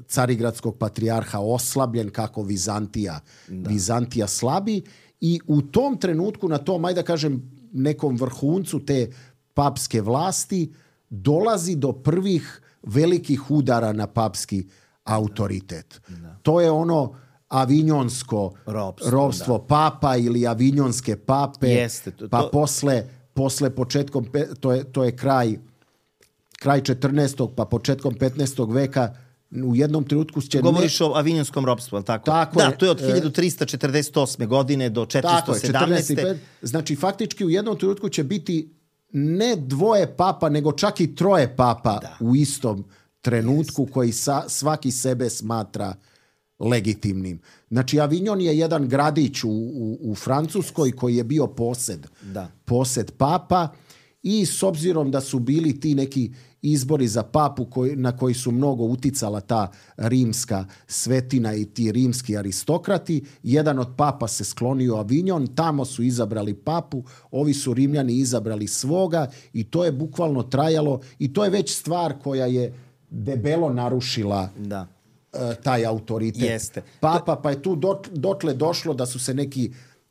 carigradskog patrijarha, oslabljen kako Vizantija slabi, i u tom trenutku, na tom, ajde da kažem, nekom vrhuncu te papske vlasti, dolazi do prvih velikih udara na papski autoritet. To je ono avinjonsko ropstvo papa ili avinjonske pape. Jeste, pa posle početkom, to je kraj 14. pa početkom 15. veka, u jednom trenutku će... Govoriš o avinjonskom ropstvu, ali tako? Tako da, je. To je od 1348. godine do 417. Tako je, 14. Znači, faktički u jednom trenutku će biti ne dvoje papa, nego čak i troje papa u istom trenutku, koji svaki sebe smatra legitimnim. Znači, Avignon je jedan gradić u Francuskoj koji je bio posed papa, i s obzirom da su bili ti neki izbori za papu na koji su mnogo uticala ta rimska svetina i ti rimski aristokrati, jedan od papa se sklonio u Avignon, tamo su izabrali papu, ovi su Rimljani izabrali svoga, i to je bukvalno trajalo, i to je već stvar koja je debelo narušila taj autoritet. Jeste. Papa, pa je tu dotle došlo da su se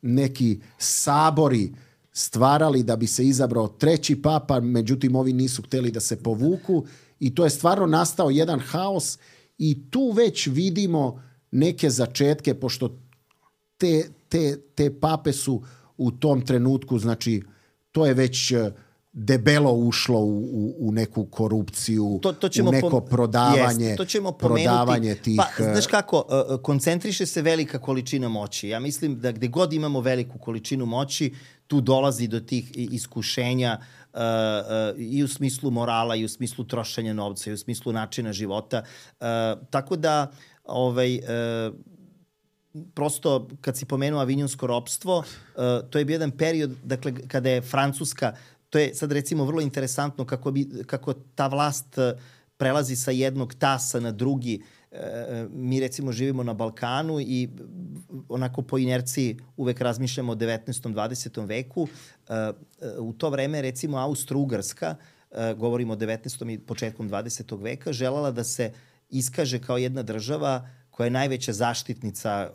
neki sabori stvarali da bi se izabrao treći papa, međutim ovi nisu htjeli da se povuku, i to je stvarno nastao jedan haos, i tu već vidimo neke začetke, pošto te pape su u tom trenutku, znači to je već debelo ušlo u neku korupciju, u neko prodavanje tih... Pa, znaš kako, koncentriše se velika količina moći. Ja mislim da gde god imamo veliku količinu moći, tu dolazi do tih iskušenja i u smislu morala, i u smislu trošenja novca, i u smislu načina života. Tako da, prosto, kad si pomenuo avinjonsko ropstvo, to je bio jedan period, dakle, kada je Francuska, to je sad recimo vrlo interesantno kako ta vlast prelazi sa jednog tasa na drugi. Mi recimo živimo na Balkanu i onako po inerciji uvek razmišljamo o 19. 20. veku. U to vreme recimo Austro-Ugarska, govorimo o 19. i početkom 20. veka, želala da se iskaže kao jedna država koja je najveća zaštitnica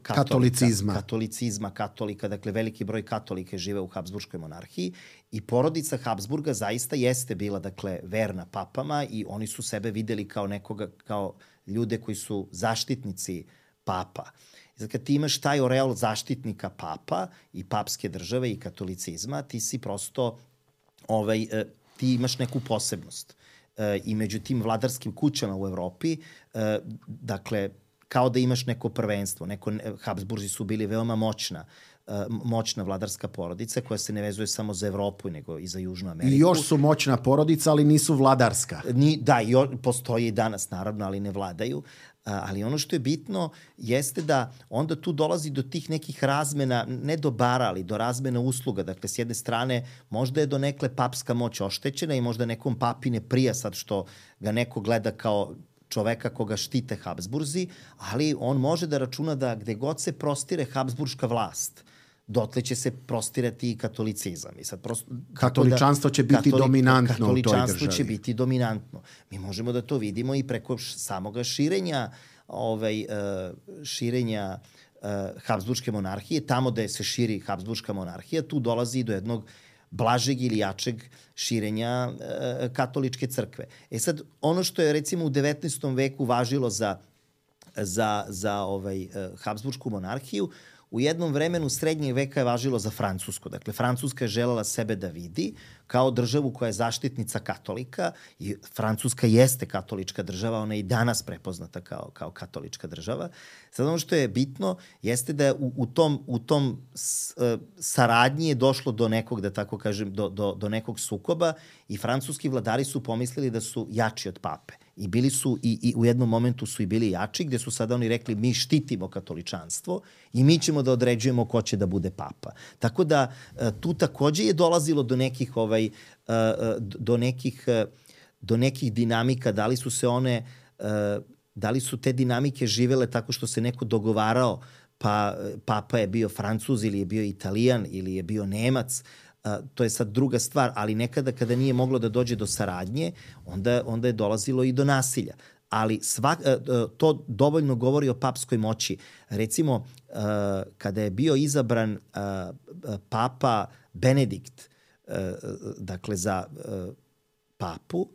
katolicizma, katolika, dakle veliki broj katolika žive u Habsburškoj monarhiji, i porodica Habsburga zaista jeste bila, dakle, verna papama, i oni su sebe videli kao ljude koji su zaštitnici papa. I kad ti imaš taj oreol zaštitnika papa i papske države i katolicizma, ti si prosto, ti imaš neku posebnost. I među tim vladarskim kućama u Evropi, dakle, kao da imaš neko prvenstvo. Habsburzi su bili veoma moćna vladarska porodica koja se ne vezuje samo za Evropu, nego i za Južnu Ameriku. I još su moćna porodica, ali nisu vladarska. Postoji i danas, naravno, ali ne vladaju. Ali ono što je bitno jeste da onda tu dolazi do tih nekih razmena, ne dobara, ali do razmena usluga. Dakle, s jedne strane, možda je donekle papska moć oštećena i možda nekom papi ne prija sad što ga neko gleda kao čoveka koga štite Habsburzi, ali on može da računa da gde god se prostire Habsburška vlast, dotle će se prostirati i katolicizam. I sad katoličanstvo će biti dominantno u toj državi. Katoličanstvo će biti dominantno. Mi možemo da to vidimo i preko samoga širenja Habsburške monarhije. Tamo da se širi Habsburška monarhija, tu dolazi do jednog blažeg ili jačeg širenja katoličke crkve. Sad, ono što je recimo u 19. veku važilo za Habsburšku monarhiju, u jednom vremenu srednjeg veka je važilo za Francusku. Dakle, Francuska je želela sebe da vidi kao državu koja je zaštitnica katolika, i Francuska jeste katolička država, ona je i danas prepoznata kao katolička država. Sad ono što je bitno jeste da u tom saradnji je došlo do nekog, da tako kažem, do nekog sukoba, i francuski vladari su pomislili da su jači od pape. I bili su, i u jednom momentu su i bili jači, gde su sada oni rekli mi štitimo katoličanstvo i mi ćemo da određujemo ko će da bude papa. Tako da tu takođe je dolazilo do nekih dinamika, da li su se one da li su te dinamike živele tako što se neko dogovarao, pa papa je bio Francuz ili je bio Italijan ili je bio Nemac, to je sad druga stvar, ali nekada kada nije moglo da dođe do saradnje, onda je dolazilo i do nasilja. Ali to dovoljno govori o papskoj moći. Recimo, kada je bio izabran papa Benedikt, dakle za papu,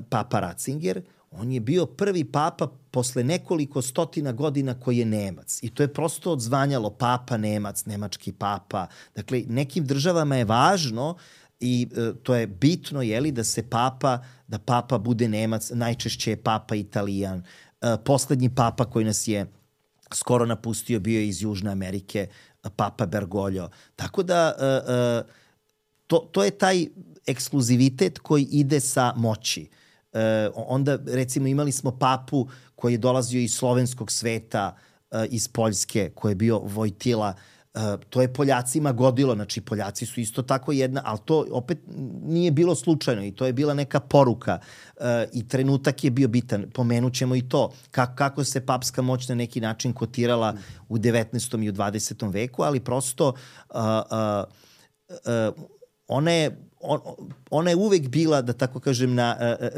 papa Ratzinger, on je bio prvi papa posle nekoliko stotina godina koji je Nemac. I to je prosto odzvanjalo papa Nemac, nemački papa. Dakle, nekim državama je važno i to je bitno, da papa bude Nemac, najčešće je papa Italijan. Poslednji papa koji nas je skoro napustio bio je iz Južne Amerike, papa Bergoglio. Tako da to je taj ekskluzivitet koji ide sa moći. Onda, recimo, imali smo papu koji je dolazio iz slovenskog sveta, iz Poljske, koji je bio Vojtila. To je Poljacima godilo, znači Poljaci su isto tako jedna, ali to opet nije bilo slučajno i to je bila neka poruka i trenutak je bio bitan. Pomenut ćemo i to, kako se papska moć na neki način kotirala u 19. i u 20. veku, ali prosto ona je uvek bila, da tako kažem,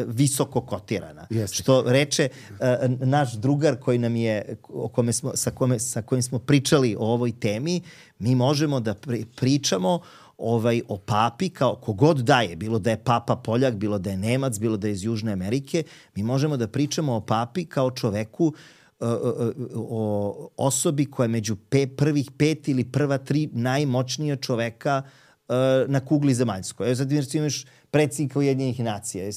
visoko kotirana. Jeste. Što reče naš drugar koji nam je, sa kojim smo pričali o ovoj temi, mi možemo da pričamo o papi kao kogod da je, bilo da je papa Poljak, bilo da je Nemac, bilo da je iz Južne Amerike, mi možemo da pričamo o papi kao čoveku, o osobi koja je među prvih 5 ili prva 3 najmoćnija čoveka na kugli zemaljskoj. Sad imaš predsjednika Ujedinjenih nacija.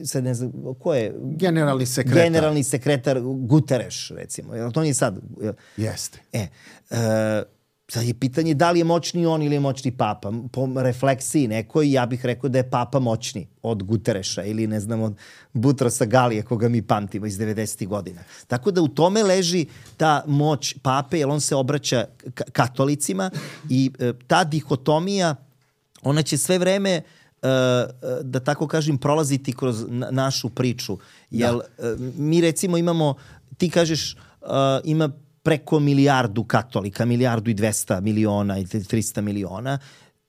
Sad ne znam, ko je? Generalni sekretar Guterres, recimo. To nije sad. Jeste. Sad je pitanje da li je moćni on ili je moćni papa. Po refleksiji nekoj, ja bih rekao da je papa moćni od Guterresa ili, ne znam, od Butrosa Galije, koga mi pamtimo iz 90. godina. Tako da u tome leži ta moć pape, jer on se obraća katolicima i ta dihotomija, ona će sve vreme, da tako kažem, prolaziti kroz našu priču. Jer mi, recimo, imamo, ti kažeš, ima preko milijardu katolika, 1.200 miliona i 300 miliona.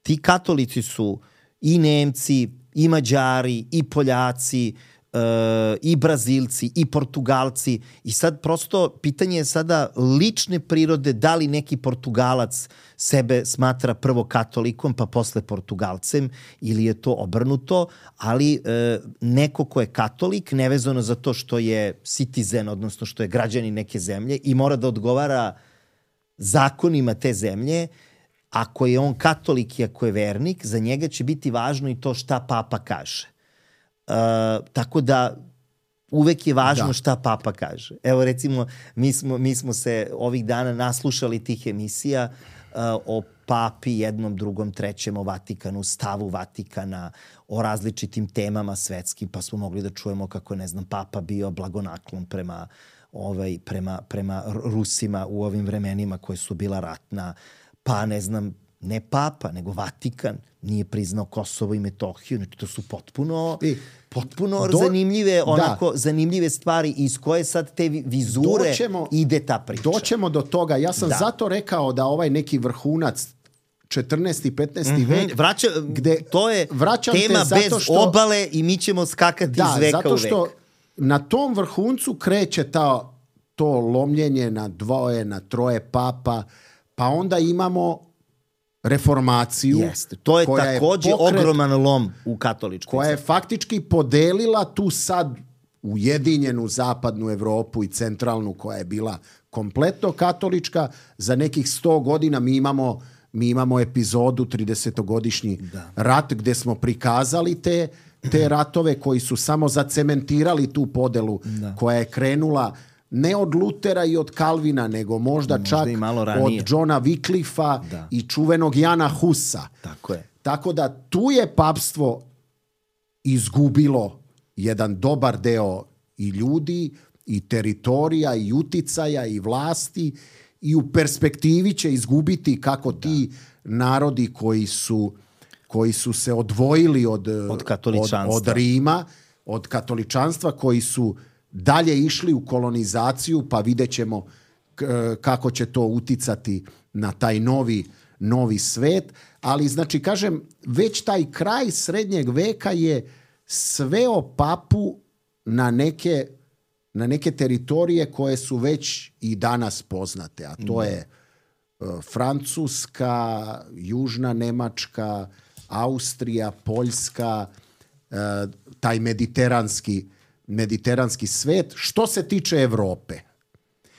Ti katolici su i Nemci, i Mađari, i Poljaci, i Brazilci, i Portugalci. I sad prosto pitanje je sada lične prirode, da li neki Portugalac sebe smatra prvo katolikom pa posle Portugalcem ili je to obrnuto, ali neko ko je katolik, nevezano za to što je citizen, odnosno što je građanin neke zemlje i mora da odgovara zakonima te zemlje, ako je on katolik i ako je vernik, za njega će biti važno i to šta papa kaže. Tako da uvek je važno šta papa kaže. Evo, recimo, mi smo se ovih dana naslušali tih emisija o papi, jednom, drugom, trećem, o Vatikanu, stavu Vatikana, o različitim temama svetskim, pa smo mogli da čujemo kako, ne znam, papa bio blagonaklon prema Rusima u ovim vremenima koje su bila ratna, pa, ne znam, ne papa, nego Vatikan nije priznao Kosovo i Metohiju. Znači, to su potpuno zanimljive stvari iz koje sad te vizure ide ta priča. Doćemo do toga. Ja sam zato rekao da ovaj neki vrhunac 14. i 15. vek, to je tema bez obale i mi ćemo skakati iz veka u vek. Zato što na tom vrhuncu kreće to lomljenje na 2, na 3 papa, pa onda imamo reformaciju. Jeste. To je takođe ogroman lom u katoličkoj. Koja je faktički podelila tu sad ujedinjenu zapadnu Evropu i centralnu, koja je bila kompletno katolička. Za nekih 100 godina mi imamo epizodu 30-godišnji rat gde smo prikazali te ratove koji su samo zacementirali tu podelu koja je krenula ne od Lutera i od Kalvina, nego možda čak od Johna Wycliffa i čuvenog Jana Husa. Tako je. Tako da tu je papstvo izgubilo jedan dobar deo i ljudi, i teritorija, i uticaja, i vlasti, i u perspektivi će izgubiti kako ti narodi koji su se odvojili od Rima, od katoličanstva koji su dalje išli u kolonizaciju, pa vidjet ćemo kako će to uticati na taj novi svet. Ali, znači, kažem, već taj kraj srednjeg veka je sveo papu na neke teritorije koje su već i danas poznate, a to je Francuska, Južna Nemačka, Austrija, Poljska, taj mediteranski svet. Što se tiče Evrope.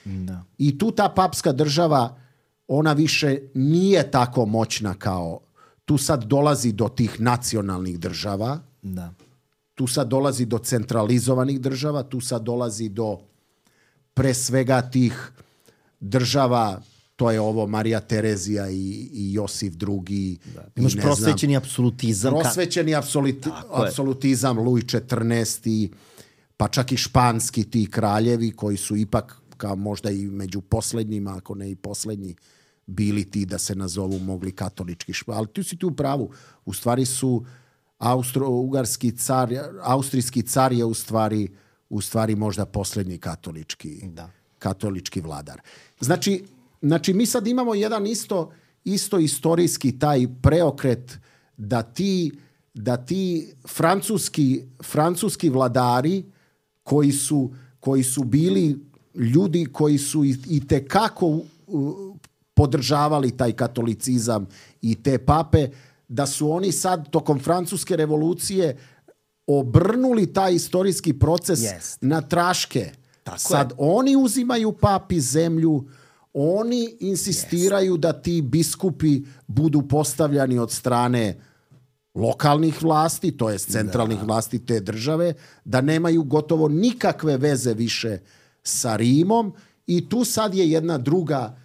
Da. I tu ta papska država, ona više nije tako moćna kao... Tu sad dolazi do tih nacionalnih država. Da. Tu sad dolazi do centralizovanih država. Tu sad dolazi do pre svega tih država, to je ovo Marija Terezija i Josif II. Da. Imaš prosvećeni apsolutizam. Prosvećeni apsolutizam, Luj XIV. Pa čak i španski ti kraljevi koji su ipak kao možda i među poslednjima, ako ne i poslednji, bili ti da se nazovu mogli katolički ali tu si tu u pravu. U stvari su austrijski car je u stvari možda poslednji katolički vladar. Znači mi sad imamo jedan isto istorijski taj preokret da ti francuski vladari koji su bili ljudi koji su i tekako podržavali taj katolicizam i te pape, da su oni sad tokom francuske revolucije obrnuli taj istorijski proces na traške. Sad oni uzimaju papi zemlju, oni insistiraju da ti biskupi budu postavljani od strane lokalnih vlasti, to jest centralnih vlasti te države, da nemaju gotovo nikakve veze više sa Rimom i tu sad je jedna druga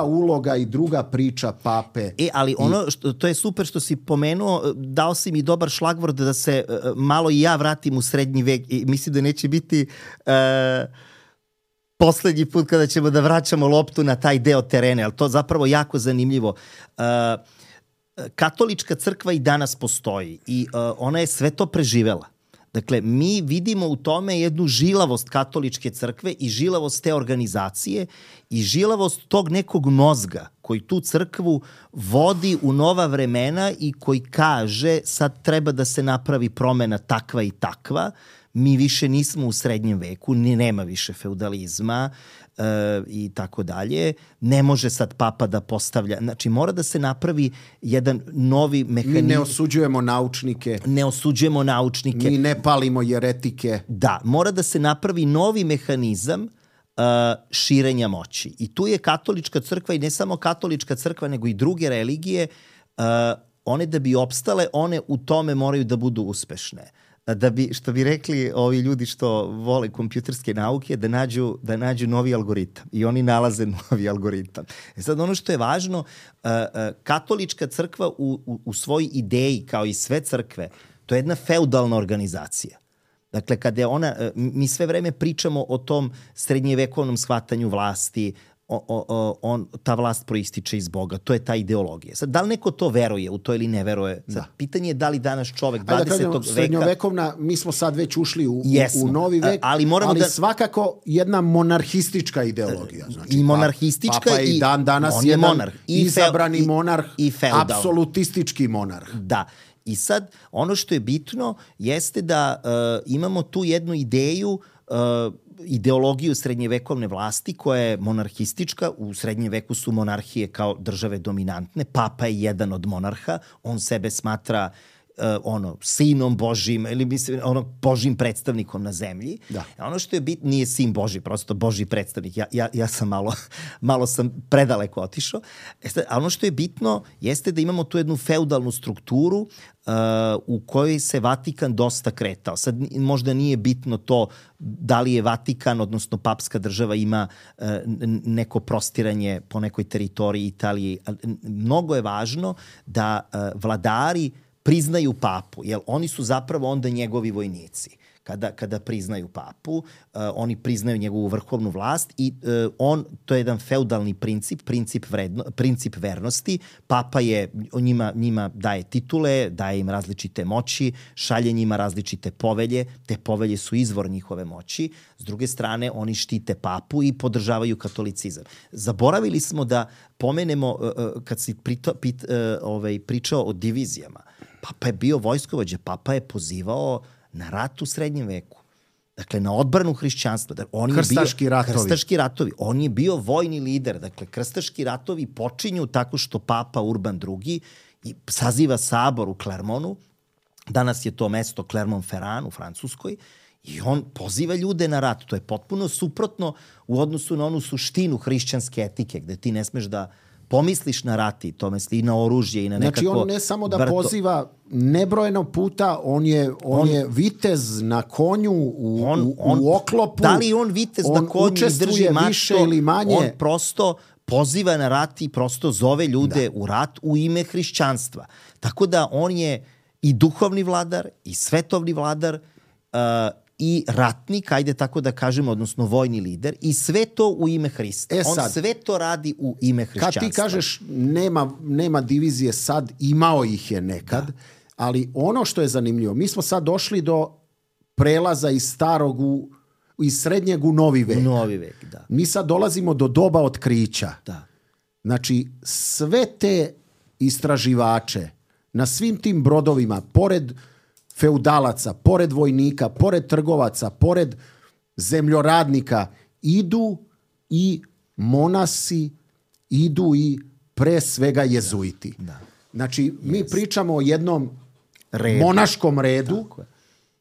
uloga i druga priča pape. Ali to je super što si pomenuo, dao si mi dobar šlagvord da se malo i ja vratim u srednji vek i mislim da neće biti poslednji put kada ćemo da vraćamo loptu na taj deo terena, ali to zapravo jako zanimljivo. Katolička crkva i danas postoji i ona je sve to preživela. Dakle, mi vidimo u tome jednu žilavost katoličke crkve i žilavost te organizacije i žilavost tog nekog mozga koji tu crkvu vodi u nova vremena i koji kaže sad treba da se napravi promena takva i takva. Mi više nismo u srednjem veku, nema više feudalizma i tako dalje. Ne može sad papa da postavlja. Znači, mora da se napravi jedan novi mehanizam. Mi ne osuđujemo naučnike. Mi ne palimo jeretike. Da, mora da se napravi novi mehanizam širenja moći. I tu je katolička crkva i ne samo katolička crkva, nego i druge religije. One da bi opstale, one u tome moraju da budu uspešne. Što bi rekli ovi ljudi što vole kompjuterske nauke, da nađu novi algoritam. I oni nalaze novi algoritam. Sad ono što je važno, katolička crkva u svojoj ideji, kao i sve crkve, to je jedna feudalna organizacija. Dakle, kada je mi sve vreme pričamo o tom srednjevekovnom shvatanju vlasti, ta vlast proističe iz Boga. To je ta ideologija. Sad, da li neko to veruje u to ili ne veruje? Sad, pitanje je da li danas čovek 20. veka... Srednjovekovna, mi smo sad već ušli u novi vek, ali svakako jedna monarhistička ideologija. Znači, i monarhistička papa i dan danas on je monarh. Izabrani monarh, apsolutistički monarh. Da. I sad, ono što je bitno jeste da imamo tu jednu ideologiju srednjevekovne vlasti koja je monarhistička. U srednjem veku su monarhije kao države dominantne. Papa je jedan od monarha. On sebe smatra sinom Božim ili Božim predstavnikom na zemlji. Da. Ono što je bitno, nije sin Boži, prosto Božji predstavnik. Ja sam malo sam predaleko otišao. A ono što je bitno jeste da imamo tu jednu feudalnu strukturu u kojoj se Vatikan dosta kretao. Sad možda nije bitno to da li je Vatikan, odnosno papska država ima neko prostiranje po nekoj teritoriji Italije. Mnogo je važno da vladari priznaju papu, jer oni su zapravo onda njegovi vojnici. kada priznaju papu, oni priznaju njegovu vrhovnu vlast i to je jedan feudalni princip vernosti. Papa je njima daje titule, daje im različite moći, šalje njima različite povelje, te povelje su izvor njihove moći. S druge strane, oni štite papu i podržavaju katolicizam. Zaboravili smo da pomenemo, kad si pričao o divizijama, papa je bio vojskovođa, papa je pozivao na rat u srednjem veku. Dakle, na odbranu hrišćanstva. Krstaški ratovi. On je bio vojni lider. Dakle, krstaški ratovi počinju tako što papa Urban II saziva sabor u Clermontu. Danas je to mesto Clermont-Ferrand u Francuskoj. I on poziva ljude na rat. To je potpuno suprotno u odnosu na onu suštinu hrišćanske etike, gde ti ne smeš da pomisliš na rat i to misli i na oružje i na nekako... Znači on ne samo da poziva nebrojeno puta, on je vitez na konju u oklopu. Da li on vitez na konju i drži mačko, više ili manje? On prosto poziva na rat i prosto zove ljude u rat u ime hrišćanstva. Tako da on je i duhovni vladar i svetovni vladar i ratnik, ajde tako da kažemo, odnosno vojni lider, i sve to u ime Hrista. On sve to radi u ime hrišćanstva. Kad ti kažeš nema divizije sad, imao ih je nekad, ali ono što je zanimljivo, mi smo sad došli do prelaza iz srednjeg u novi vek. Novi vek, da. Mi sad dolazimo do doba otkrića. Da. Znači, sve te istraživače na svim tim brodovima, pored feudalaca, pored vojnika, pored trgovaca, pored zemljoradnika, idu i monasi, idu i pre svega jezuiti. Da. Znači, mi pričamo o jednom monaškom redu,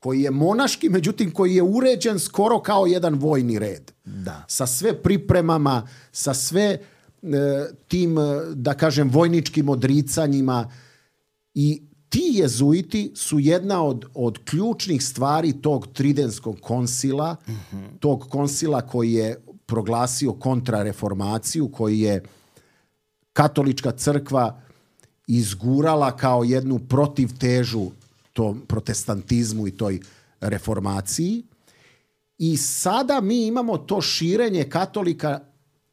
koji je monaški, međutim koji je uređen skoro kao jedan vojni red. Da. Sa sve pripremama, sa sve tim, da kažem, vojničkim odricanjima. I ti jezuiti su jedna od ključnih stvari tog Tridenskog koncila, tog koncila koji je proglasio kontrareformaciju, koji je katolička crkva izgurala kao jednu protivtežu tom protestantizmu i toj reformaciji. I sada mi imamo to širenje katolika.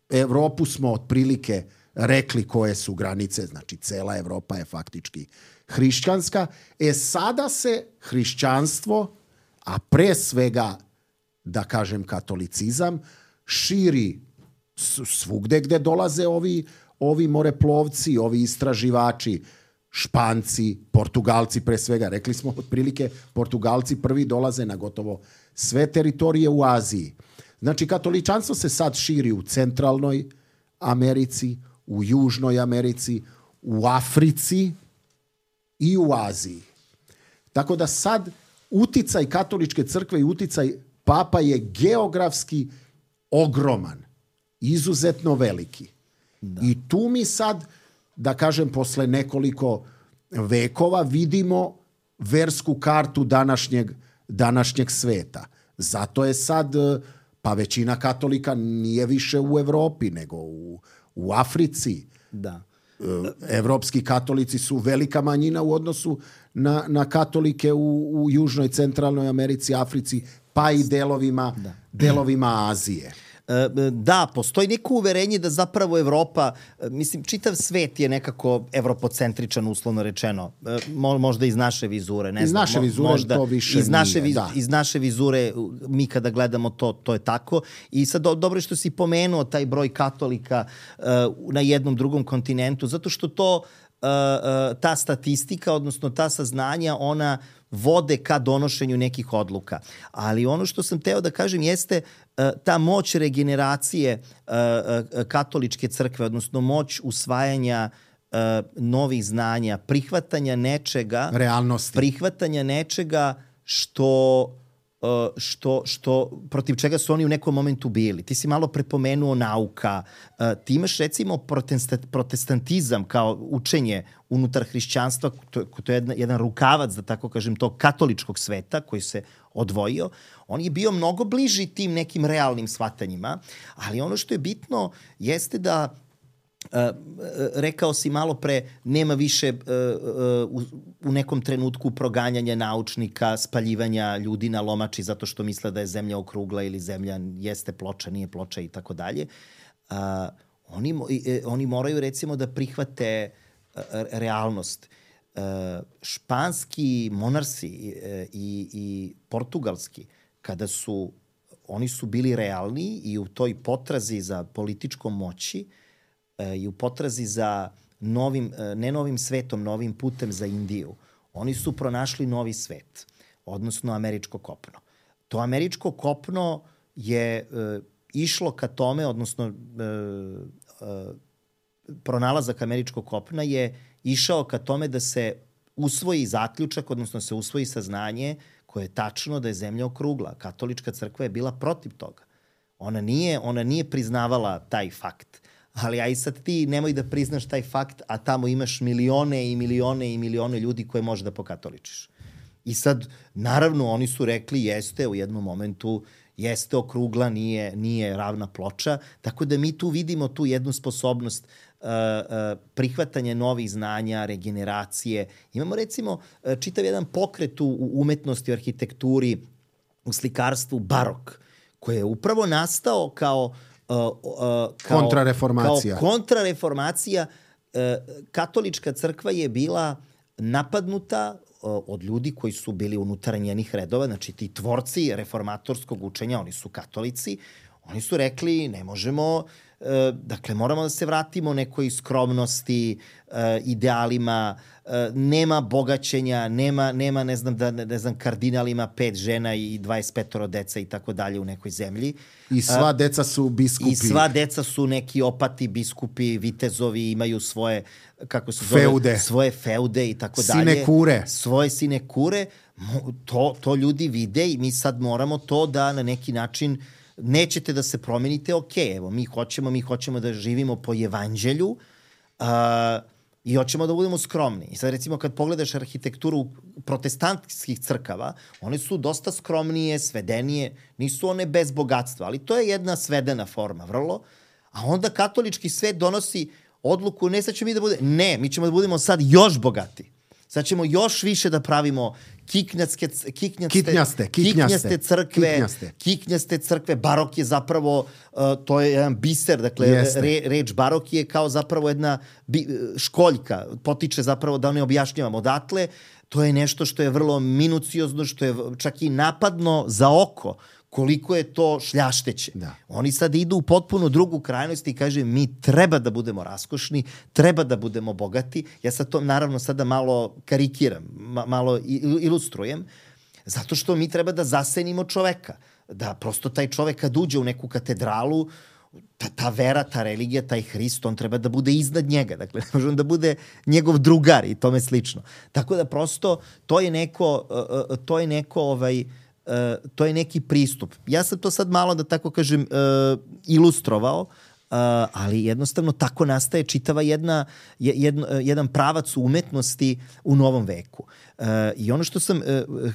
Evropu smo otprilike rekli koje su granice, znači cela Evropa je faktički hrišćanska. Sada se hrišćanstvo, a pre svega, da kažem, katolicizam, širi svugde gde dolaze ovi moreplovci, ovi istraživači, Španci, Portugalci pre svega. Rekli smo otprilike, Portugalci prvi dolaze na gotovo sve teritorije u Aziji. Znači, katoličanstvo se sad širi u centralnoj Americi, u Južnoj Americi, u Africi i u Aziji. Tako da sad uticaj katoličke crkve i uticaj papa je geografski ogroman, izuzetno veliki. Da. I tu mi sad, da kažem, posle nekoliko vekova vidimo versku kartu današnjeg sveta. Zato je sad, pa većina katolika nije više u Evropi, nego u Africi. Da. Evropski katolici su velika manjina u odnosu na katolike u Južnoj, Centralnoj Americi, Africi, pa i delovima Azije. Da, postoji neko uverenje da zapravo Evropa, mislim, čitav svet je nekako evropocentričan, uslovno rečeno. Možda iz naše vizure, ne znam. Iz naše vizure možda, to više nije. Iz naše vizure, mi kada gledamo to je tako. I sad dobro je što si pomenuo taj broj katolika na jednom drugom kontinentu, zato što to ta statistika, odnosno ta saznanja, ona vode ka donošenju nekih odluka. Ali ono što sam teo da kažem jeste ta moć regeneracije katoličke crkve, odnosno moć usvajanja novih znanja, prihvatanja nečega, realnosti. Prihvatanja nečega što protiv čega su oni u nekom momentu bili. Ti si malo prepomenuo nauka. Ti imaš recimo protestantizam kao učenje unutar hrišćanstva, to je jedan rukavac, da tako kažem, tog katoličkog sveta koji se odvojio. On je bio mnogo bliži tim nekim realnim shvatanjima, ali ono što je bitno jeste da Rekao si malo pre, nema više u nekom trenutku proganjanja naučnika, spaljivanja ljudi na lomači zato što misle da je zemlja okrugla ili zemlja jeste ploča, nije ploča i tako dalje. Oni moraju recimo da prihvate realnost. Španski monarsi i portugalski, oni su bili realni i u toj potrazi za političkom moći i u potrazi za ne novim svetom, novim putem za Indiju. Oni su pronašli novi svet, odnosno američko kopno. To američko kopno je išlo ka tome, odnosno pronalazak američkog kopna je išao ka tome da se usvoji zaključak, odnosno se usvoji saznanje koje je tačno da je zemlja okrugla. Katolička crkva je bila protiv toga. Ona nije priznavala taj fakt. Ali aj sad ti nemoj da priznaš taj fakt, a tamo imaš milione i milione i milione ljudi koje možeš da pokatoličiš. I sad, naravno, oni su rekli jeste u jednom momentu, jeste okrugla, nije ravna ploča, tako da mi tu vidimo tu jednu sposobnost prihvatanje novih znanja, regeneracije. Imamo recimo čitav jedan pokret u umetnosti, u arhitekturi, u slikarstvu, barok, koji je upravo nastao kao kontrareformacija. Kao kontrareformacija. Katolička crkva je bila napadnuta od ljudi koji su bili unutar njenih redova, znači ti tvorci reformatorskog učenja, oni su katolici, oni su rekli ne možemo, dakle moramo da se vratimo nekoj skromnosti, idealima, nema bogaćenja, nema ne znam, kardinal ima 5 žena i 25 deca i tako dalje u nekoj zemlji. I sva deca su biskupi. I sva deca su neki opati biskupi, vitezovi, imaju svoje, kako se zove, feude. Svoje feude i tako dalje. Sinekure. Svoje sinekure. To ljudi vide i mi sad moramo to da na neki način nećete da se promenite, evo, mi hoćemo da živimo po evanđelju i hoćemo da budemo skromni. I sad recimo kad pogledaš arhitekturu protestantskih crkava, one su dosta skromnije, svedenije, nisu one bez bogatstva, ali to je jedna svedena forma, vrlo. A onda katolički svet donosi odluku, ne sad ćemo mi da budemo, ne, mi ćemo da budemo sad još bogati. Sad ćemo još više da pravimo kiknjaste crkve. Barok je zapravo, to je jedan biser, dakle, reč barok je kao zapravo jedna školjka, potiče zapravo da ne objašnjavam odatle. To je nešto što je vrlo minuciozno, što je čak i napadno za oko, koliko je to šljašteće. Da. Oni sad idu u potpuno drugu krajnost i kaže mi treba da budemo raskošni, treba da budemo bogati. Ja sad to naravno sada malo karikiram, malo ilustrujem, zato što mi treba da zasenimo čoveka. Da prosto taj čovek kad uđe u neku katedralu, ta vera, ta religija, taj Hrist, on treba da bude iznad njega. Dakle, ne može on da bude njegov drugar i tome slično. Tako da prosto to je neki pristup. Ja sam to sad malo, da tako kažem, ilustrovao, ali jednostavno tako nastaje čitava jedan pravac umetnosti u novom veku. I ono što sam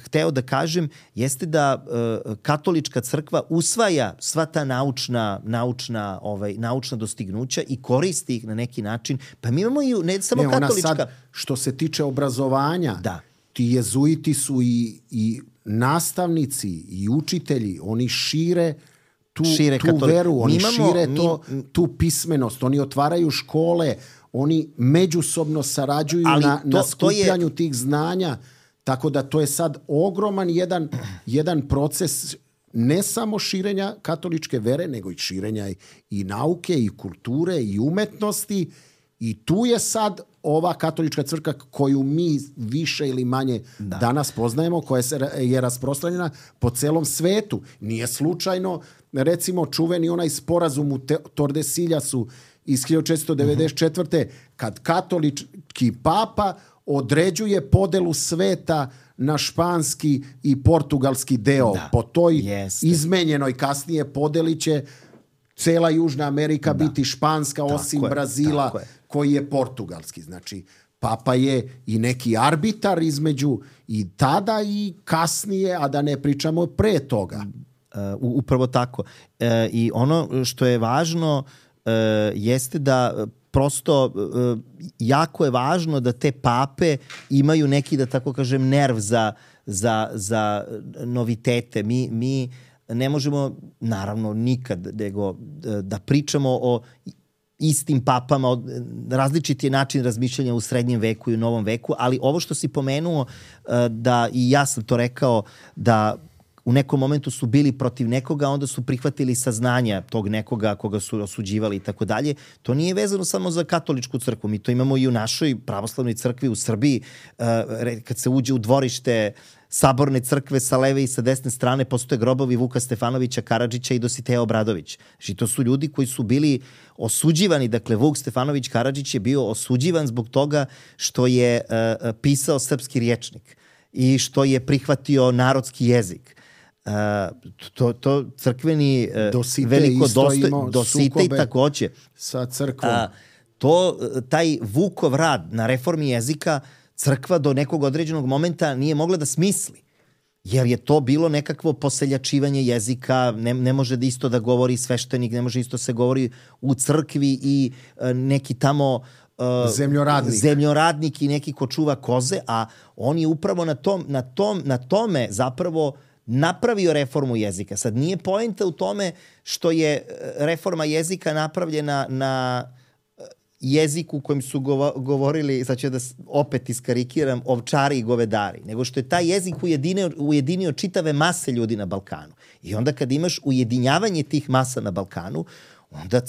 hteo da kažem jeste da katolička crkva usvaja sva ta naučna dostignuća i koristi ih na neki način. Pa mi imamo i ne samo katolička... Ona sad, što se tiče obrazovanja, ti jezuiti su i nastavnici i učitelji, oni šire tu veru, oni šire tu pismenost, oni otvaraju škole, oni međusobno sarađuju na skupljanju tih znanja, tako da to je sad ogroman jedan proces ne samo širenja katoličke vere, nego i širenja i nauke, i kulture, i umetnosti. I tu je sad ova katolička crkva koju mi više ili manje danas poznajemo, koja je rasprostranjena po celom svetu. Nije slučajno, recimo, čuveni onaj sporazum u Tordesiljasu iz 1494. kad katolički papa određuje podelu sveta na španski i portugalski deo. Po toj izmenjenoj kasnije podeli će cela Južna Amerika biti španska, osim Brazila koji je portugalski. Znači, papa je i neki arbitar između i tada i kasnije, a da ne pričamo pre toga. Upravo tako. I ono što je važno jeste da prosto jako je važno da te pape imaju neki, da tako kažem, nerv za novitete. Mi ne možemo, naravno, nikad nego da pričamo o istim papama, različiti je način razmišljanja u srednjem veku i u novom veku, ali ovo što si pomenuo, da i ja sam to rekao, da u nekom momentu su bili protiv nekoga, onda su prihvatili saznanja tog nekoga koga su osuđivali i tako dalje. To nije vezano samo za katoličku crkvu. Mi to imamo i u našoj pravoslavnoj crkvi u Srbiji. Kad se uđe u dvorište Saborne crkve sa leve i sa desne strane, postoje grobovi Vuka Stefanovića Karadžića i Dositeja Obradović. Znači, to su ljudi koji su bili osuđivani. Dakle, Vuk Stefanović Karadžić je bio osuđivan zbog toga što je pisao srpski rječnik i što je prihvatio narodski jezik. To crkveni veliko Dositej takođe sa crkvom. Taj Vukov rad na reformi jezika crkva do nekog određenog momenta nije mogla da smisli, jer je to bilo nekakvo poseljačivanje jezika, ne može da isto da govori sveštenik, ne može isto se govori u crkvi i neki tamo zemljoradnik i neki ko čuva koze, a on je upravo na tome zapravo napravio reformu jezika. Sad nije poenta u tome što je reforma jezika napravljena na jeziku kojim su govorili, sad ću da opet iskarikiram, ovčari i govedari, nego što je taj jezik ujedinio čitave mase ljudi na Balkanu. I onda kad imaš ujedinjavanje tih masa na Balkanu, onda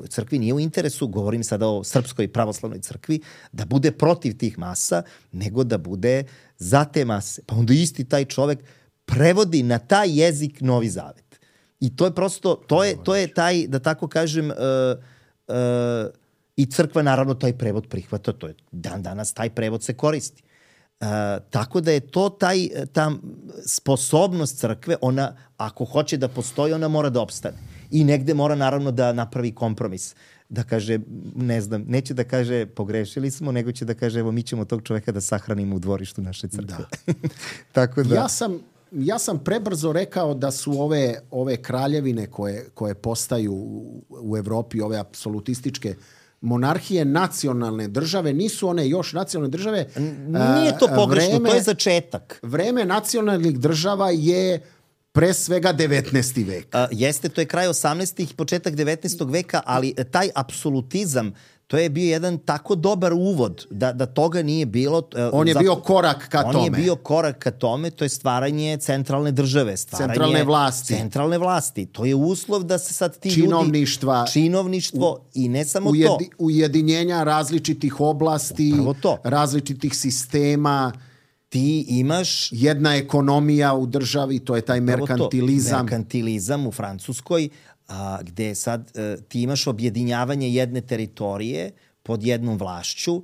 crkvi nije u interesu, govorim sada o Srpskoj pravoslavnoj crkvi, da bude protiv tih masa, nego da bude za te mase. Pa onda isti taj čovek prevodi na taj jezik Novi Zavet. I to je prosto, to je taj, da tako kažem, i crkva naravno taj prevod prihvata, to je danas taj prevod se koristi. Tako da je to ta sposobnost crkve, ona ako hoće da postoji, ona mora da opstane. I negde mora naravno da napravi kompromis. Da kaže, ne znam, neće da kaže pogrešili smo, nego će da kaže evo mi ćemo tog čoveka da sahranimo u dvorištu naše crkve. Da. Tako da... Ja sam prebrzo rekao da su ove kraljevine koje postaju u Evropi, ove apsolutističke monarhije, nacionalne države, nisu one još nacionalne države. Nije to pogrešno, to je začetak. Vreme nacionalnih država je pre svega 19. vek. Jeste, to je kraj 18. i početak 19. veka, ali taj apsolutizam, to je bio jedan tako dobar uvod da toga nije bilo. On je bio korak ka tome. On je bio korak ka tome, to je stvaranje centralne države, centralne vlasti. To je uslov da se sad ti činovništvo i ne samo to. Ujedinjenja različitih oblasti, različitih sistema. Ti imaš... Jedna ekonomija u državi, to je taj merkantilizam. Merkantilizam u Francuskoj, gde sad ti imaš objedinjavanje jedne teritorije pod jednom vlašću.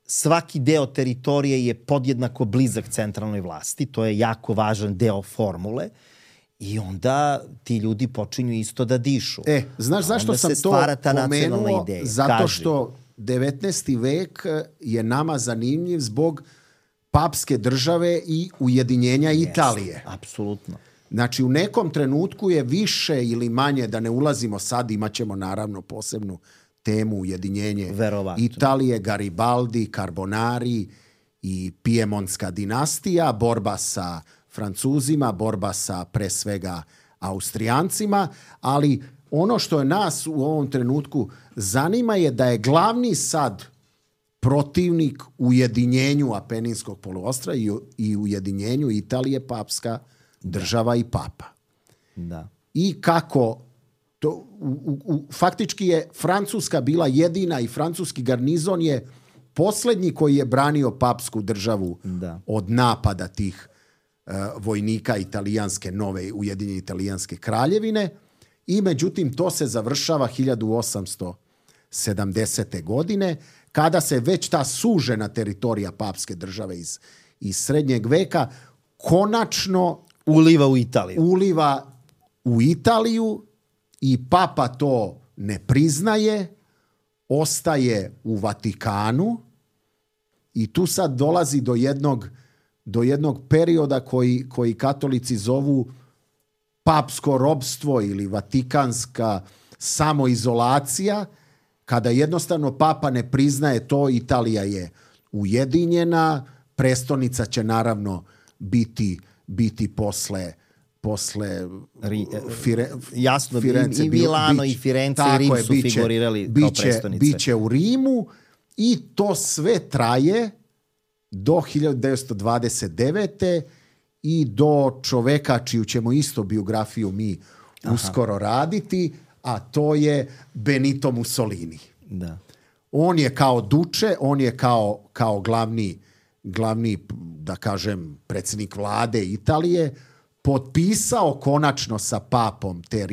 Svaki deo teritorije je podjednako blizak centralnoj vlasti. To je jako važan deo formule. I onda ti ljudi počinju isto da dišu. Znaš zašto sam to pomenuo? Zato što 19. vek je nama zanimljiv zbog papske države i ujedinjenja Italije. Apsolutno. Znači, u nekom trenutku je više ili manje, da ne ulazimo sad, imat ćemo naravno posebnu temu ujedinjenje Italije, Garibaldi, Carbonari i Pijemontska dinastija, borba sa Francuzima, borba sa pre svega Austrijancima, ali ono što je nas u ovom trenutku zanima je da je glavni sad protivnik ujedinjenju Apeninskog poluostrva i ujedinjenju Italije papska država i papa. Da. I kako to, faktički je Francuska bila jedina i francuski garnizon je posljednji koji je branio papsku državu od napada tih vojnika italijanske, nove ujedinjene italijanske kraljevine i međutim to se završava 1870. godine kada se već ta sužena teritorija papske države iz srednjeg veka konačno uliva u Italiju i papa to ne priznaje, ostaje u Vatikanu i tu sad dolazi do jednog perioda koji katolici zovu papsko robstvo ili vatikanska samoizolacija, kada jednostavno papa ne priznaje to, Italija je ujedinjena, prestonica će naravno biti posle jasno, Firence, i Milano i Firenze i Rim su figurirali kao prestonice. Biće u Rimu i to sve traje do 1929. i do čoveka čiju ćemo isto biografiju mi uskoro raditi, a to je Benito Mussolini. Da. On je kao duče, on je kao glavni, da kažem, predsjednik vlade Italije, potpisao konačno sa papom te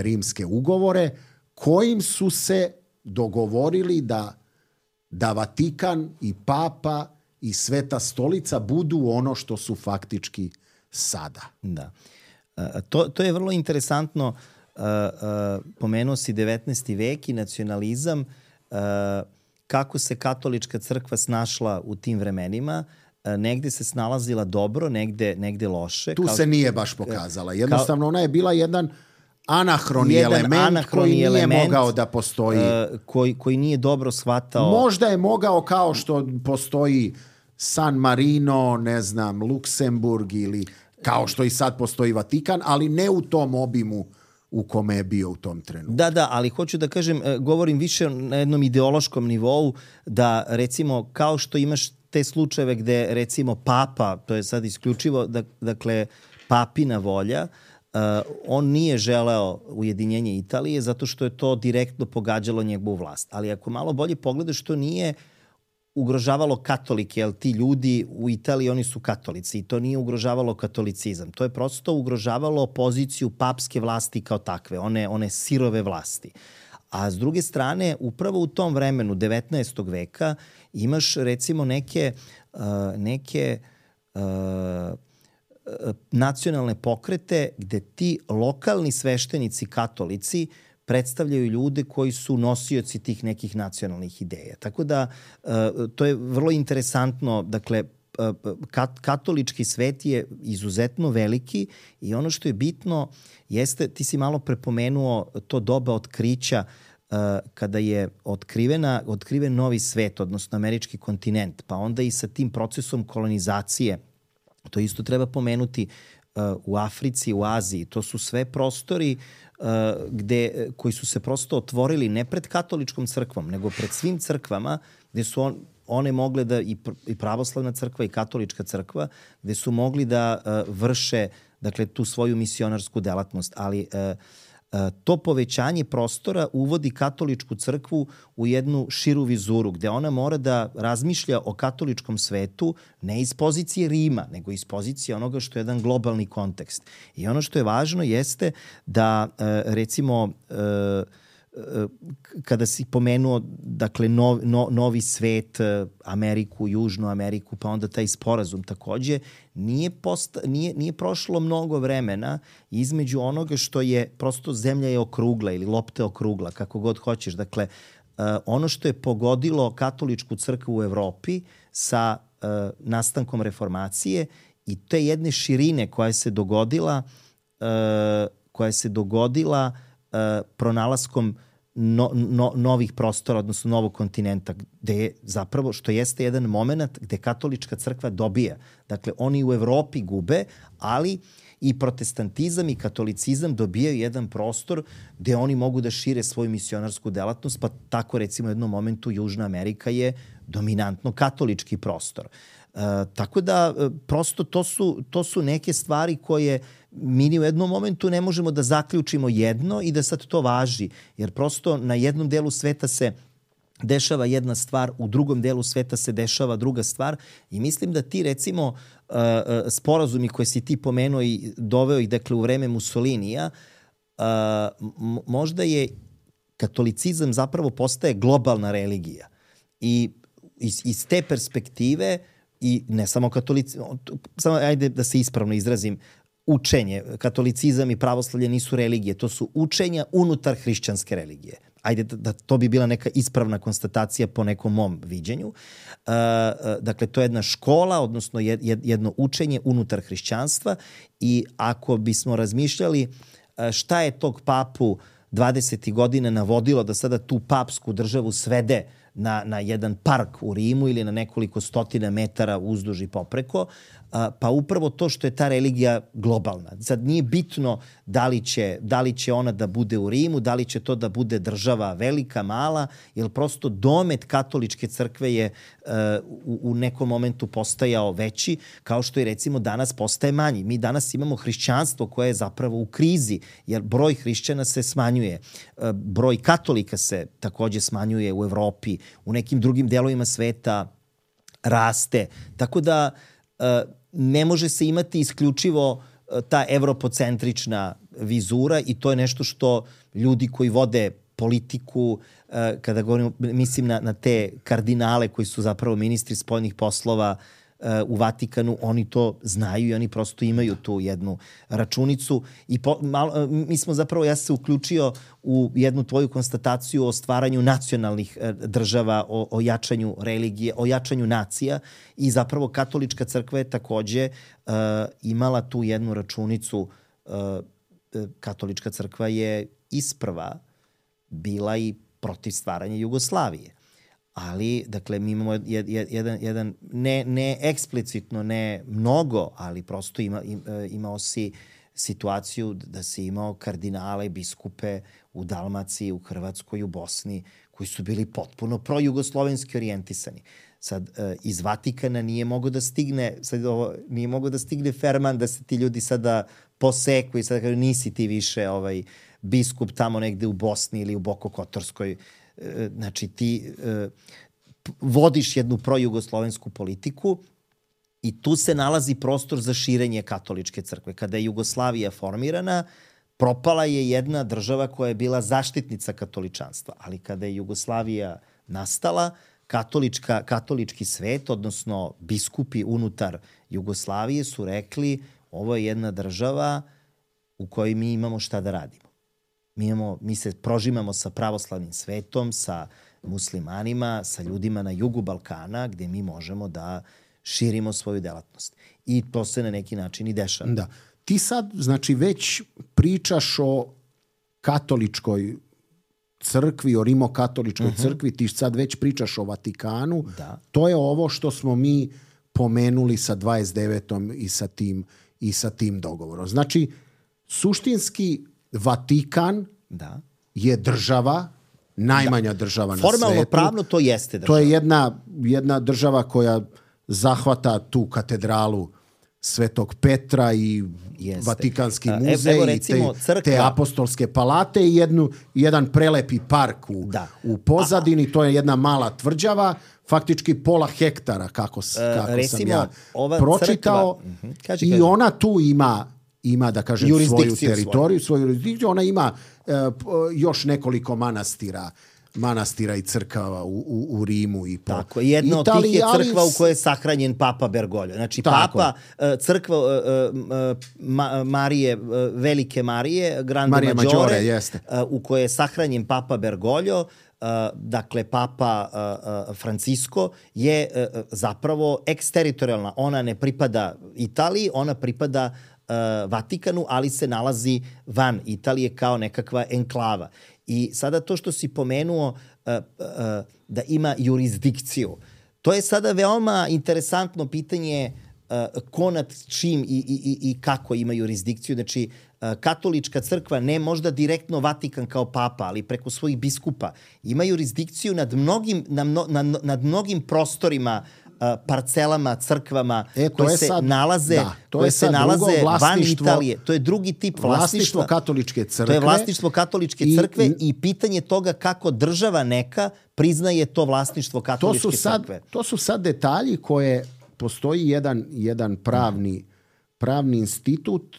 rimske ugovore kojim su se dogovorili da Vatikan i papa i Sveta stolica budu ono što su faktički sada. Da. To je vrlo interesantno. Pomenuo si 19. vek i nacionalizam, kako se katolička crkva snašla u tim vremenima. Negde se snalazila dobro, negde loše. Tu se nije baš pokazala. Jednostavno ona je bila jedan anahroni element koji nije mogao da postoji. Koji nije dobro shvatao. Možda je mogao kao što postoji San Marino, ne znam, Luksemburg ili kao što i sad postoji Vatikan, ali ne u tom obimu u kome je bio u tom trenutku. Da, ali hoću da kažem, govorim više na jednom ideološkom nivou, da recimo kao što imaš te slučajeve gde recimo papa, to je sad isključivo, dakle, papina volja, on nije želeo ujedinjenje Italije zato što je to direktno pogađalo njegovu vlast. Ali ako malo bolje pogledaš, to nije ugrožavalo katolike, jer ti ljudi u Italiji, oni su katolici i to nije ugrožavalo katolicizam. To je prosto ugrožavalo poziciju papske vlasti kao takve, one sirove vlasti. A s druge strane, upravo u tom vremenu 19. veka imaš recimo neke nacionalne pokrete gde ti lokalni sveštenici katolici predstavljaju ljude koji su nosioci tih nekih nacionalnih ideja. Tako da to je vrlo interesantno. Dakle, katolički svet je izuzetno veliki i ono što je bitno jeste, ti si malo prepomenuo to doba otkrića kada je otkriven novi svet, odnosno američki kontinent, pa onda i sa tim procesom kolonizacije. To isto treba pomenuti u Africi, u Aziji. To su sve prostori koji su se prosto otvorili ne pred katoličkom crkvom, nego pred svim crkvama, gde su one mogle da, i pravoslavna crkva i katolička crkva, gde su mogli da vrše, dakle, tu svoju misionarsku delatnost. Ali to povećanje prostora uvodi katoličku crkvu u jednu širu vizuru, gde ona mora da razmišlja o katoličkom svetu ne iz pozicije Rima, nego iz pozicije onoga što je jedan globalni kontekst. I ono što je važno jeste da, recimo, kada si pomenuo, dakle, novi svet, Ameriku, Južnu Ameriku, pa onda taj sporazum takođe, nije prošlo mnogo vremena između onoga što je prosto zemlja je okrugla ili lopta je okrugla, kako god hoćeš. Dakle, ono što je pogodilo katoličku crkvu u Evropi sa nastankom reformacije i te jedne širine koja se dogodila pronalaskom novih prostora, odnosno novog kontinenta, gde je zapravo, što jeste jedan moment gde katolička crkva dobija. Dakle, oni u Evropi gube, ali i protestantizam i katolicizam dobijaju jedan prostor gde oni mogu da šire svoju misionarsku delatnost, pa tako recimo u jednom momentu Južna Amerika je dominantno katolički prostor. Tako da prosto to su neke stvari koje mi u jednom momentu ne možemo da zaključimo jedno i da sad to važi, jer prosto na jednom delu sveta se dešava jedna stvar, u drugom delu sveta se dešava druga stvar i mislim da ti recimo sporazumi koje si ti pomenuo i doveo ih, dakle, u vreme Mussolinija, možda je katolicizam zapravo postaje globalna religija i iz te perspektive i ne samo samo ajde da se ispravno izrazim, učenje, katolicizam i pravoslavlje nisu religije, to su učenja unutar hrišćanske religije. Ajde da to bi bila neka ispravna konstatacija po nekom mom viđenju. Dakle, to je jedna škola, odnosno jedno učenje unutar hrišćanstva i ako bismo razmišljali šta je tog papu 20. godina navodilo da sada tu papsku državu svede na jedan park u Rimu ili na nekoliko stotina metara uzduž i popreko, pa upravo to što je ta religija globalna. Sad nije bitno da li će ona da bude u Rimu, da li će to da bude država velika, mala, jer prosto domet katoličke crkve je u nekom momentu postajao veći, kao što i recimo danas postaje manji. Mi danas imamo hrišćanstvo koje je zapravo u krizi, jer broj hrišćana se smanjuje. Broj katolika se takođe smanjuje u Evropi, u nekim drugim delovima sveta raste. Tako da ne može se imati isključivo ta evropocentrična vizura i to je nešto što ljudi koji vode politiku, kada govorimo, mislim na te kardinale koji su zapravo ministri spoljnih poslova u Vatikanu, oni to znaju i oni prosto imaju tu jednu računicu. Mi smo zapravo, ja sam se uključio u jednu tvoju konstataciju o stvaranju nacionalnih država, o jačanju religije, o jačanju nacija i zapravo katolička crkva je takođe imala tu jednu računicu. Katolička crkva je isprva bila i protiv stvaranja Jugoslavije. Ali, dakle, mi imamo jedan ne eksplicitno, ne mnogo, ali prosto imao si situaciju da si imao kardinale, biskupe u Dalmaciji, u Hrvatskoj, u Bosni, koji su bili potpuno projugoslovenski orijentisani. Sad, iz Vatikana nije mogo da stigne ferman da se ti ljudi sada poseku i sada kažu nisi ti više biskup tamo negde u Bosni ili u Bokokotorskoj. Znači, ti vodiš jednu projugoslovensku politiku i tu se nalazi prostor za širenje katoličke crkve. Kada je Jugoslavija formirana, propala je jedna država koja je bila zaštitnica katoličanstva. Ali kada je Jugoslavija nastala, katolički svet, odnosno biskupi unutar Jugoslavije su rekli ovo je jedna država u kojoj mi imamo šta da radimo. Mi se prožimamo sa pravoslavnim svetom, sa muslimanima, sa ljudima na jugu Balkana, gde mi možemo da širimo svoju delatnost. I to se na neki način i dešava. Da. Ti sad, znači, već pričaš o katoličkoj crkvi, o rimokatoličkoj crkvi, ti sad već pričaš o Vatikanu. Da. To je ovo što smo mi pomenuli sa 29. i sa tim dogovorom. Znači, suštinski Vatikan je država, najmanja država na svetu. Formalno pravno to jeste država. To je jedna država koja zahvata tu katedralu Svetog Petra i Vatikanski muzej recimo, i te apostolske palate i jedan prelepi park u pozadini. To je jedna mala tvrđava, faktički pola hektara, kako sam ja pročitao. I ona tu ima da kažem svoju teritoriju, svoju jurisdikciju. Ona ima još nekoliko manastira i crkava u Rimu i po tako, jedna Italiji. Od tih je crkva u kojoj je sahranjen Papa Bergoglio. Znači, tako. Crkva Marije, Velike Marije, Grande Maggiore, u kojoj je sahranjen Papa Bergoglio, dakle, Papa Francisco je zapravo eksteritorijalna. Ona ne pripada Italiji, ona pripada Vatikanu, ali se nalazi van Italije kao nekakva enklava. I sada to što si pomenuo da ima jurisdikciju, to je sada veoma interesantno pitanje ko nad čim i kako ima jurisdikciju. Znači, katolička crkva, ne možda direktno Vatikan kao papa, ali preko svojih biskupa, ima jurisdikciju nad mnogim prostorima, parcelama, crkvama koje se nalaze van Italije. To je drugi tip vlasništva. Katoličke crkve. To je vlasništvo katoličke crkve i pitanje toga kako država neka priznaje to vlasništvo katoličke crkve. To su sad detalji koje postoji jedan pravni institut,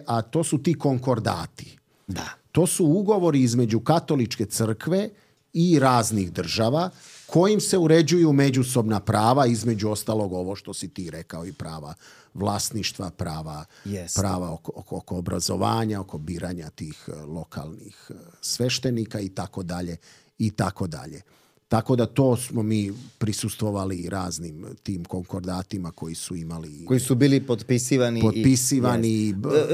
a to su ti konkordati. Da. To su ugovori između katoličke crkve i raznih država kojim se uređuju međusobna prava, između ostalog ovo što si ti rekao, i prava vlasništva, prava oko obrazovanja, oko biranja tih lokalnih sveštenika i tako dalje. Tako da to smo mi prisustvovali raznim tim konkordatima koji su imali... Koji su bili potpisivani.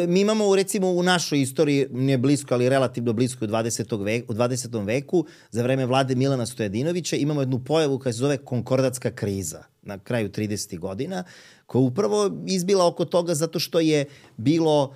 Mi imamo, recimo, u našoj istoriji, ne blisko, ali relativno blisko u 20. veku, za vreme vlade Milana Stojadinovića, imamo jednu pojavu koja se zove konkordatska kriza na kraju 30. godina, koja upravo izbila oko toga zato što je bilo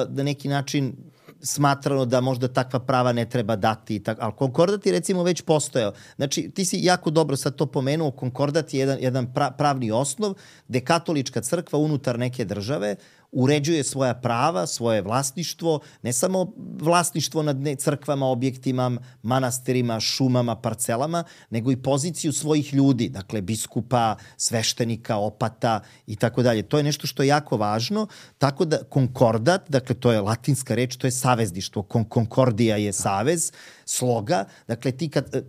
na neki način smatrano da možda takva prava ne treba dati. Ali konkordat je recimo već postojao. Znači, ti si jako dobro sad to pomenuo, konkordat je jedan pravni osnov gde katolička crkva unutar neke države uređuje svoja prava, svoje vlasništvo, ne samo vlasništvo nad crkvama, objektima, manastirima, šumama, parcelama, nego i poziciju svojih ljudi, dakle biskupa, sveštenika, opata i tako dalje. To je nešto što je jako važno, tako da konkordat, dakle to je latinska reč, to je savezništvo, konkordija je savez, sloga, dakle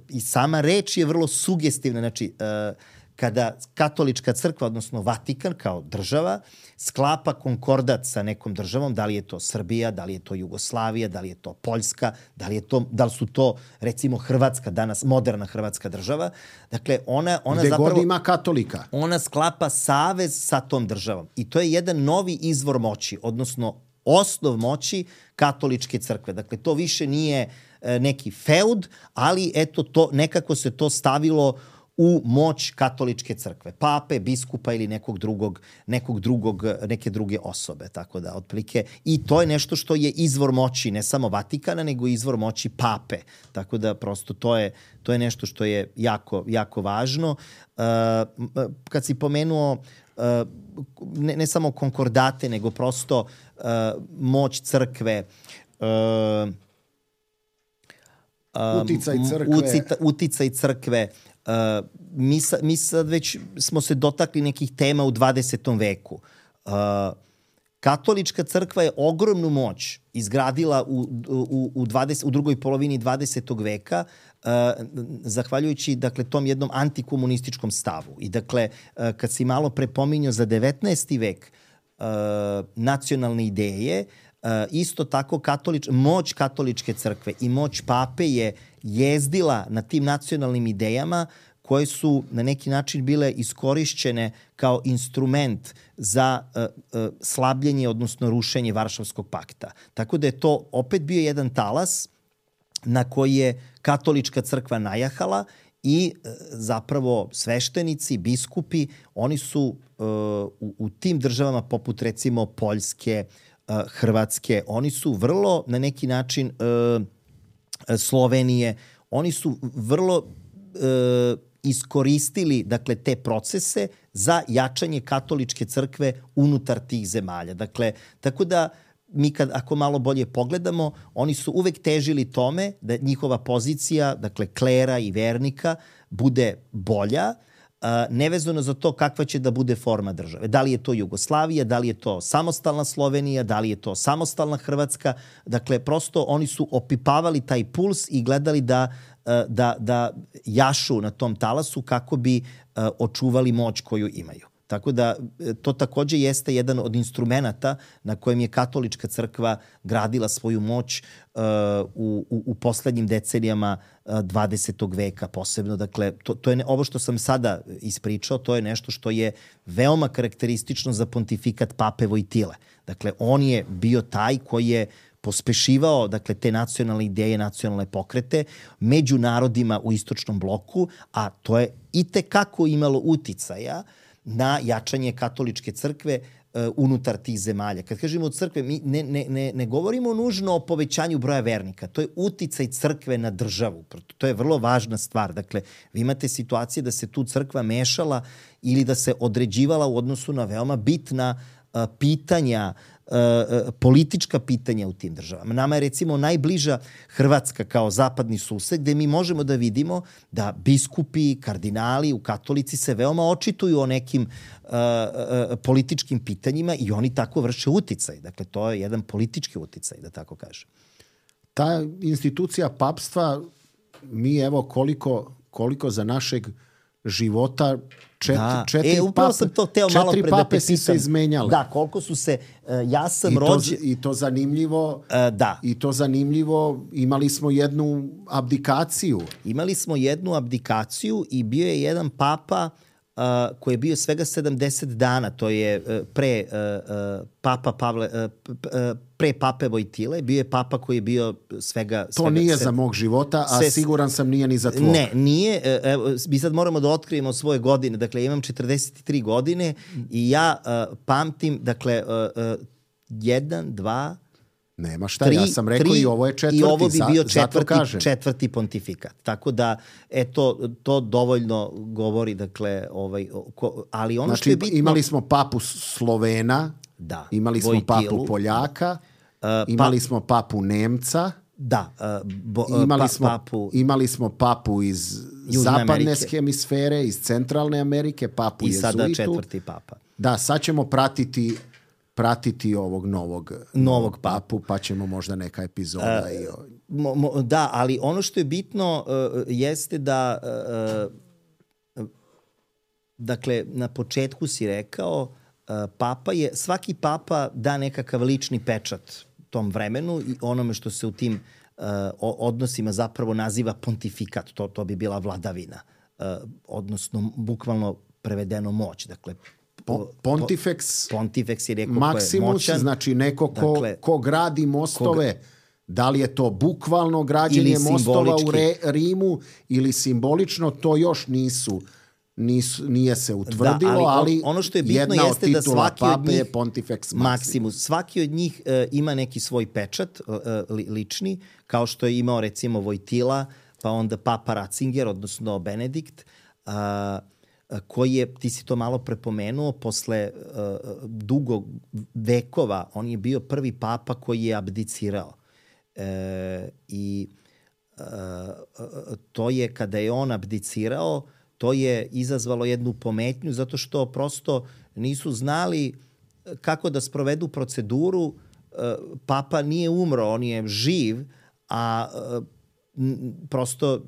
i sama reč je vrlo sugestivna, znači kada katolička crkva, odnosno Vatikan kao država, sklapa konkordat sa nekom državom, da li je to Srbija, da li je to Jugoslavija, da li je to Poljska, da li su to recimo Hrvatska, danas moderna hrvatska država. Dakle, ona gde zapravo... god ima katolika. Ona sklapa savez sa tom državom. I to je jedan novi izvor moći, odnosno osnov moći katoličke crkve. Dakle, to više nije neki feud, ali eto, nekako se to stavilo u moć katoličke crkve, pape, biskupa ili neke druge osobe, tako da otprilike i to je nešto što je izvor moći ne samo Vatikana, nego izvor moći pape. Tako da prosto to je nešto što je jako, jako važno. Kad si pomenuo ne samo konkordate, nego prosto moć crkve, uticaj crkve, mi sad već smo se dotakli nekih tema u 20. veku. Katolička crkva je ogromnu moć izgradila u drugoj polovini 20. veka zahvaljujući dakle, tom jednom antikomunističkom stavu. I dakle, kad si malo prepominjao za 19. vek nacionalne ideje, isto tako moć katoličke crkve i moć pape je jezdila na tim nacionalnim idejama koje su na neki način bile iskorišćene kao instrument za slabljenje, odnosno rušenje Varšavskog pakta. Tako da je to opet bio jedan talas na koji je katolička crkva najahala i zapravo sveštenici, biskupi, oni su u tim državama poput recimo Poljske, Hrvatske, oni su vrlo na neki način Slovenije, oni su vrlo iskoristili dakle, te procese za jačanje katoličke crkve unutar tih zemalja. Dakle, tako da mi ako malo bolje pogledamo, oni su uvek težili tome da njihova pozicija, dakle klera i vernika, bude bolja, nevezano za to kakva će da bude forma države. Da li je to Jugoslavija, da li je to samostalna Slovenija, da li je to samostalna Hrvatska. Dakle, prosto oni su opipavali taj puls i gledali da jašu na tom talasu kako bi očuvali moć koju imaju. Tako da to takođe jeste jedan od instrumenata na kojem je katolička crkva gradila svoju moć u poslednjim decenijama 20. veka posebno. Dakle, to je ovo što sam sada ispričao, to je nešto što je veoma karakteristično za pontifikat pape Vojtile. Dakle, on je bio taj koji je pospešivao dakle, te nacionalne ideje, nacionalne pokrete među narodima u istočnom bloku, a to je itekako imalo uticaja na jačanje katoličke crkve unutar tih zemalja. Kad kažemo crkve, mi ne govorimo nužno o povećanju broja vernika. To je uticaj crkve na državu. To je vrlo važna stvar. Dakle, vi imate situacije da se tu crkva mešala ili da se određivala u odnosu na veoma bitna pitanja, politička pitanja u tim državama. Nama je recimo najbliža Hrvatska kao zapadni sused gde mi možemo da vidimo da biskupi, kardinali u katolici se veoma očituju o nekim političkim pitanjima i oni tako vrše uticaj. Dakle, to je jedan politički uticaj, da tako kažem. Ta institucija papstva, mi evo koliko za našeg života četiri upravo sam to teo malo pre da te pitam. 4 pape si se izmenjale. Da, koliko su se, ja sam rođen... I to zanimljivo, da. I to zanimljivo, imali smo jednu abdikaciju. Imali smo jednu abdikaciju i bio je jedan papa koji je bio svega 70 dana, to je pre pape Vojtile, bio je papa koji je bio svega... To nije za mog života, a siguran sam nije ni za tvoj. Ne, nije. Mi sad moramo da otkrijemo svoje godine. Dakle, imam 43 godine i ja pamtim, dakle, 1, 2... Nema šta, ja sam rekao i ovo je četvrti, i ovo bi bio četvrti pontifikat. Tako da, to dovoljno govori, dakle, ali ono znači, što je bitno... imali smo papu Slovena, imali smo papu Poljaka, imali smo papu Nemca, imali smo papu iz zapadne hemisfere, iz centralne Amerike, papu i jezuitu. I sada četvrti papa. Da, sad ćemo pratiti ovog novog papu, pa ćemo možda neka epizoda. Da, ali ono što je bitno jeste da dakle, na početku si rekao svaki papa da nekakav lični pečat tom vremenu i onome što se u tim odnosima zapravo naziva pontifikat, to bi bila vladavina, odnosno bukvalno prevedeno moć, dakle Pontifex je neko Maximus, ko je moćan. znači neko ko gradi mostove, da li je to bukvalno građenje mostova u Rimu ili simbolično, to još nije se utvrdilo, ali ono što je bitno jedna od jeste da svaki od njih je Pontifex Maximus. Svaki od njih ima neki svoj pečat lični, kao što je imao recimo Vojtila, pa onda Papa Ratzinger, odnosno Benedikt, koji je, ti si to malo prepomenuo, posle dugo vekova, on je bio prvi papa koji je abdicirao. To je, kada je on abdicirao, to je izazvalo jednu pometnju, zato što prosto nisu znali kako da sprovedu proceduru. Papa nije umro, on je živ, a prosto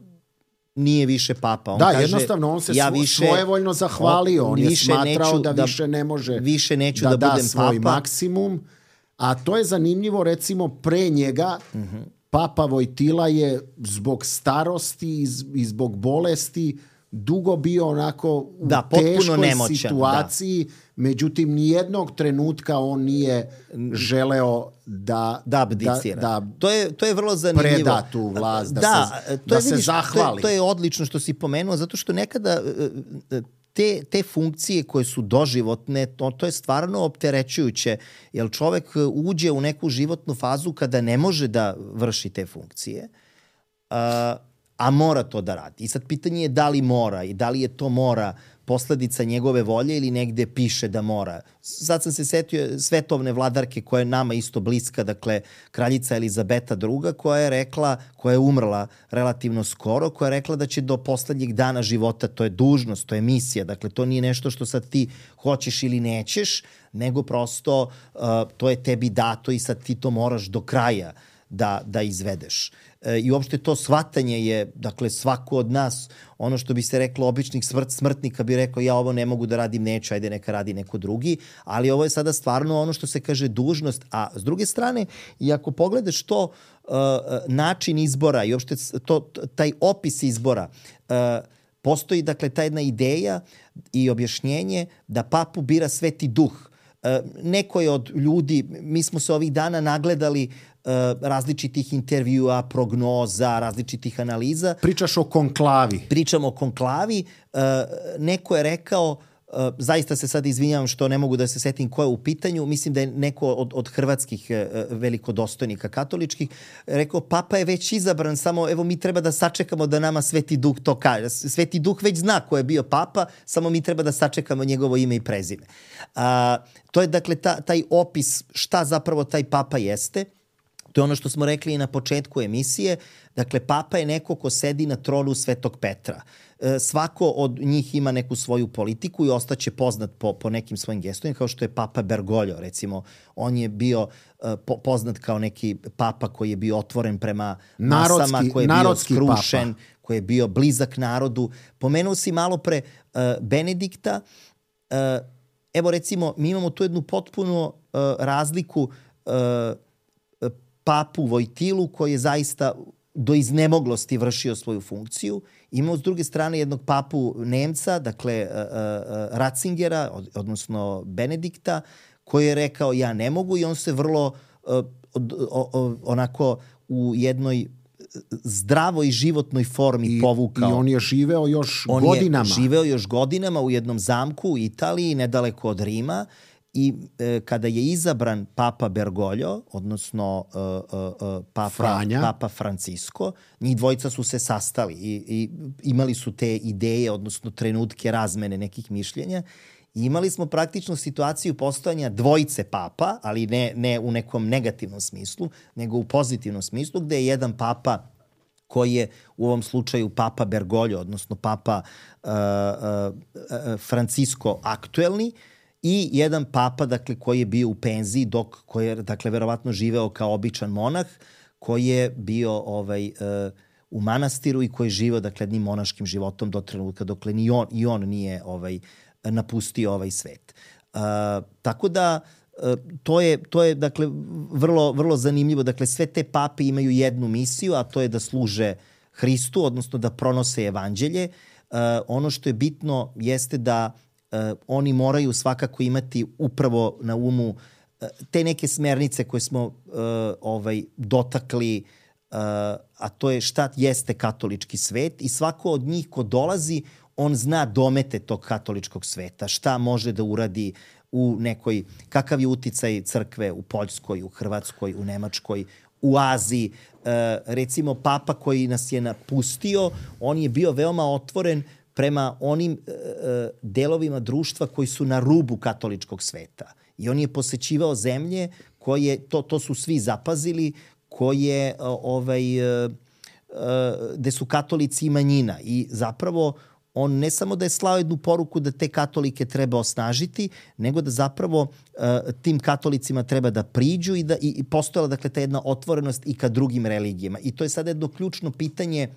nije više papa. On kaže, jednostavno, on se svojevoljno zahvalio. On je smatrao da više ne može da budem svoj papa. Maksimum. A to je zanimljivo, recimo, pre njega Papa Vojtila je zbog starosti i zbog bolesti dugo bio onako u teškoj nemoćan, situaciji, međutim nijednog trenutka on nije želeo da abdicira. To je vrlo zanimljivo. Preda tu vlast, da se zahvali. To je odlično što si pomenuo, zato što nekada te funkcije koje su doživotne, to je stvarno opterećujuće, jer čovek uđe u neku životnu fazu kada ne može da vrši te funkcije, a mora to da radi. I sad pitanje je da li mora i da li je to mora posledica njegove volje ili negde piše da mora. Sad sam se setio svetovne vladarke koja je nama isto bliska, dakle kraljica Elizabeta II, koja je umrla relativno skoro, koja je rekla da će do poslednjeg dana života, to je dužnost, to je misija, dakle to nije nešto što sad ti hoćeš ili nećeš, nego prosto to je tebi dato i sad ti to moraš do kraja da izvedeš. I uopšte to shvatanje je, dakle, svako od nas, ono što bi se reklo običnih smrtnika bi rekao ja ovo ne mogu da radim, neću, ajde neka radi neko drugi, ali ovo je sada stvarno ono što se kaže dužnost, a s druge strane, i ako pogledaš to način izbora i uopšte taj opis izbora, postoji, dakle, ta jedna ideja i objašnjenje da papu bira Sveti Duh. Neko je od ljudi, mi smo se ovih dana nagledali različitih intervjua, prognoza, različitih analiza. Pričaš o konklavi. Pričamo o konklavi. Neko je rekao, zaista se sad izvinjavam što ne mogu da se setim ko je u pitanju, mislim da je neko od hrvatskih velikodostojnika katoličkih rekao, papa je već izabran, samo evo mi treba da sačekamo da nama Sveti Duh to kaže. Sveti Duh već zna ko je bio papa, samo mi treba da sačekamo njegovo ime i prezime. To je dakle taj opis šta zapravo taj papa jeste. To je ono što smo rekli i na početku emisije. Dakle, papa je neko ko sedi na tronu Svetog Petra. Svako od njih ima neku svoju politiku i ostaće poznat po nekim svojim gestovima, kao što je papa Bergoglio, recimo. On je bio poznat kao neki papa koji je bio otvoren prema masama, koji je bio skrušen, koji je bio blizak narodu. Pomenuo si malo pre Benedikta. Evo, recimo, mi imamo tu jednu potpuno razliku papu Vojtilu, koji je zaista do iznemoglosti vršio svoju funkciju. Imamo s druge strane jednog papu Nemca, dakle Ratzingera, odnosno Benedikta, koji je rekao ja ne mogu i on se vrlo onako u jednoj zdravoj životnoj formi povukao. I on je živeo još godinama. On je živeo još godinama u jednom zamku u Italiji, nedaleko od Rima. I kada je izabran papa Bergoglio, odnosno papa Francisco, njih dvojica su se sastali i imali su te ideje, odnosno trenutke razmene nekih mišljenja. I imali smo praktično situaciju postojanja dvojice papa, ali ne u nekom negativnom smislu, nego u pozitivnom smislu, gde je jedan papa koji je u ovom slučaju papa Bergoglio, odnosno papa Francisco aktuelni, i jedan papa, dakle, koji je bio u penziji, koji je, dakle, verovatno živeo kao običan monah, koji je bio u manastiru i koji je živeo, dakle, jednim monaškim životom do trenutka dokle ni on nije napustio ovaj svet. Tako da to je dakle, vrlo zanimljivo. Dakle, sve te pape imaju jednu misiju, a to je da služe Hristu, odnosno da pronose evanđelje. Ono što je bitno jeste da oni moraju svakako imati upravo na umu te neke smernice koje smo dotakli, a to je šta jeste katolički svet, i svako od njih ko dolazi, on zna domete tog katoličkog sveta, šta može da uradi u nekoj, kakav je uticaj crkve u Poljskoj, u Hrvatskoj, u Nemačkoj, u Aziji. Recimo, papa koji nas je napustio, on je bio veoma otvoren prema onim delovima društva koji su na rubu katoličkog sveta. I on je posećivao zemlje koje, to su svi zapazili, koje, gde su katolici i manjina. I zapravo on ne samo da je slao jednu poruku da te katolike treba osnažiti, nego da zapravo tim katolicima treba da priđu i postojala, dakle, ta jedna otvorenost i ka drugim religijama. I to je sada jedno ključno pitanje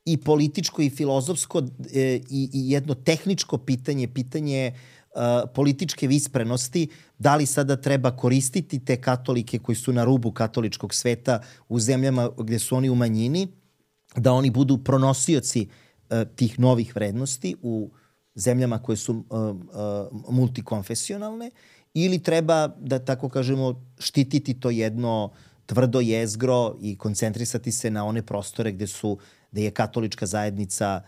i političko i filozofsko i jedno tehničko pitanje političke visprenosti, da li sada treba koristiti te katolike koji su na rubu katoličkog sveta u zemljama gde su oni u manjini, da oni budu pronosioci tih novih vrednosti u zemljama koje su multikonfesionalne, ili treba, da tako kažemo, štititi to jedno tvrdo jezgro i koncentrisati se na one prostore gde je katolička zajednica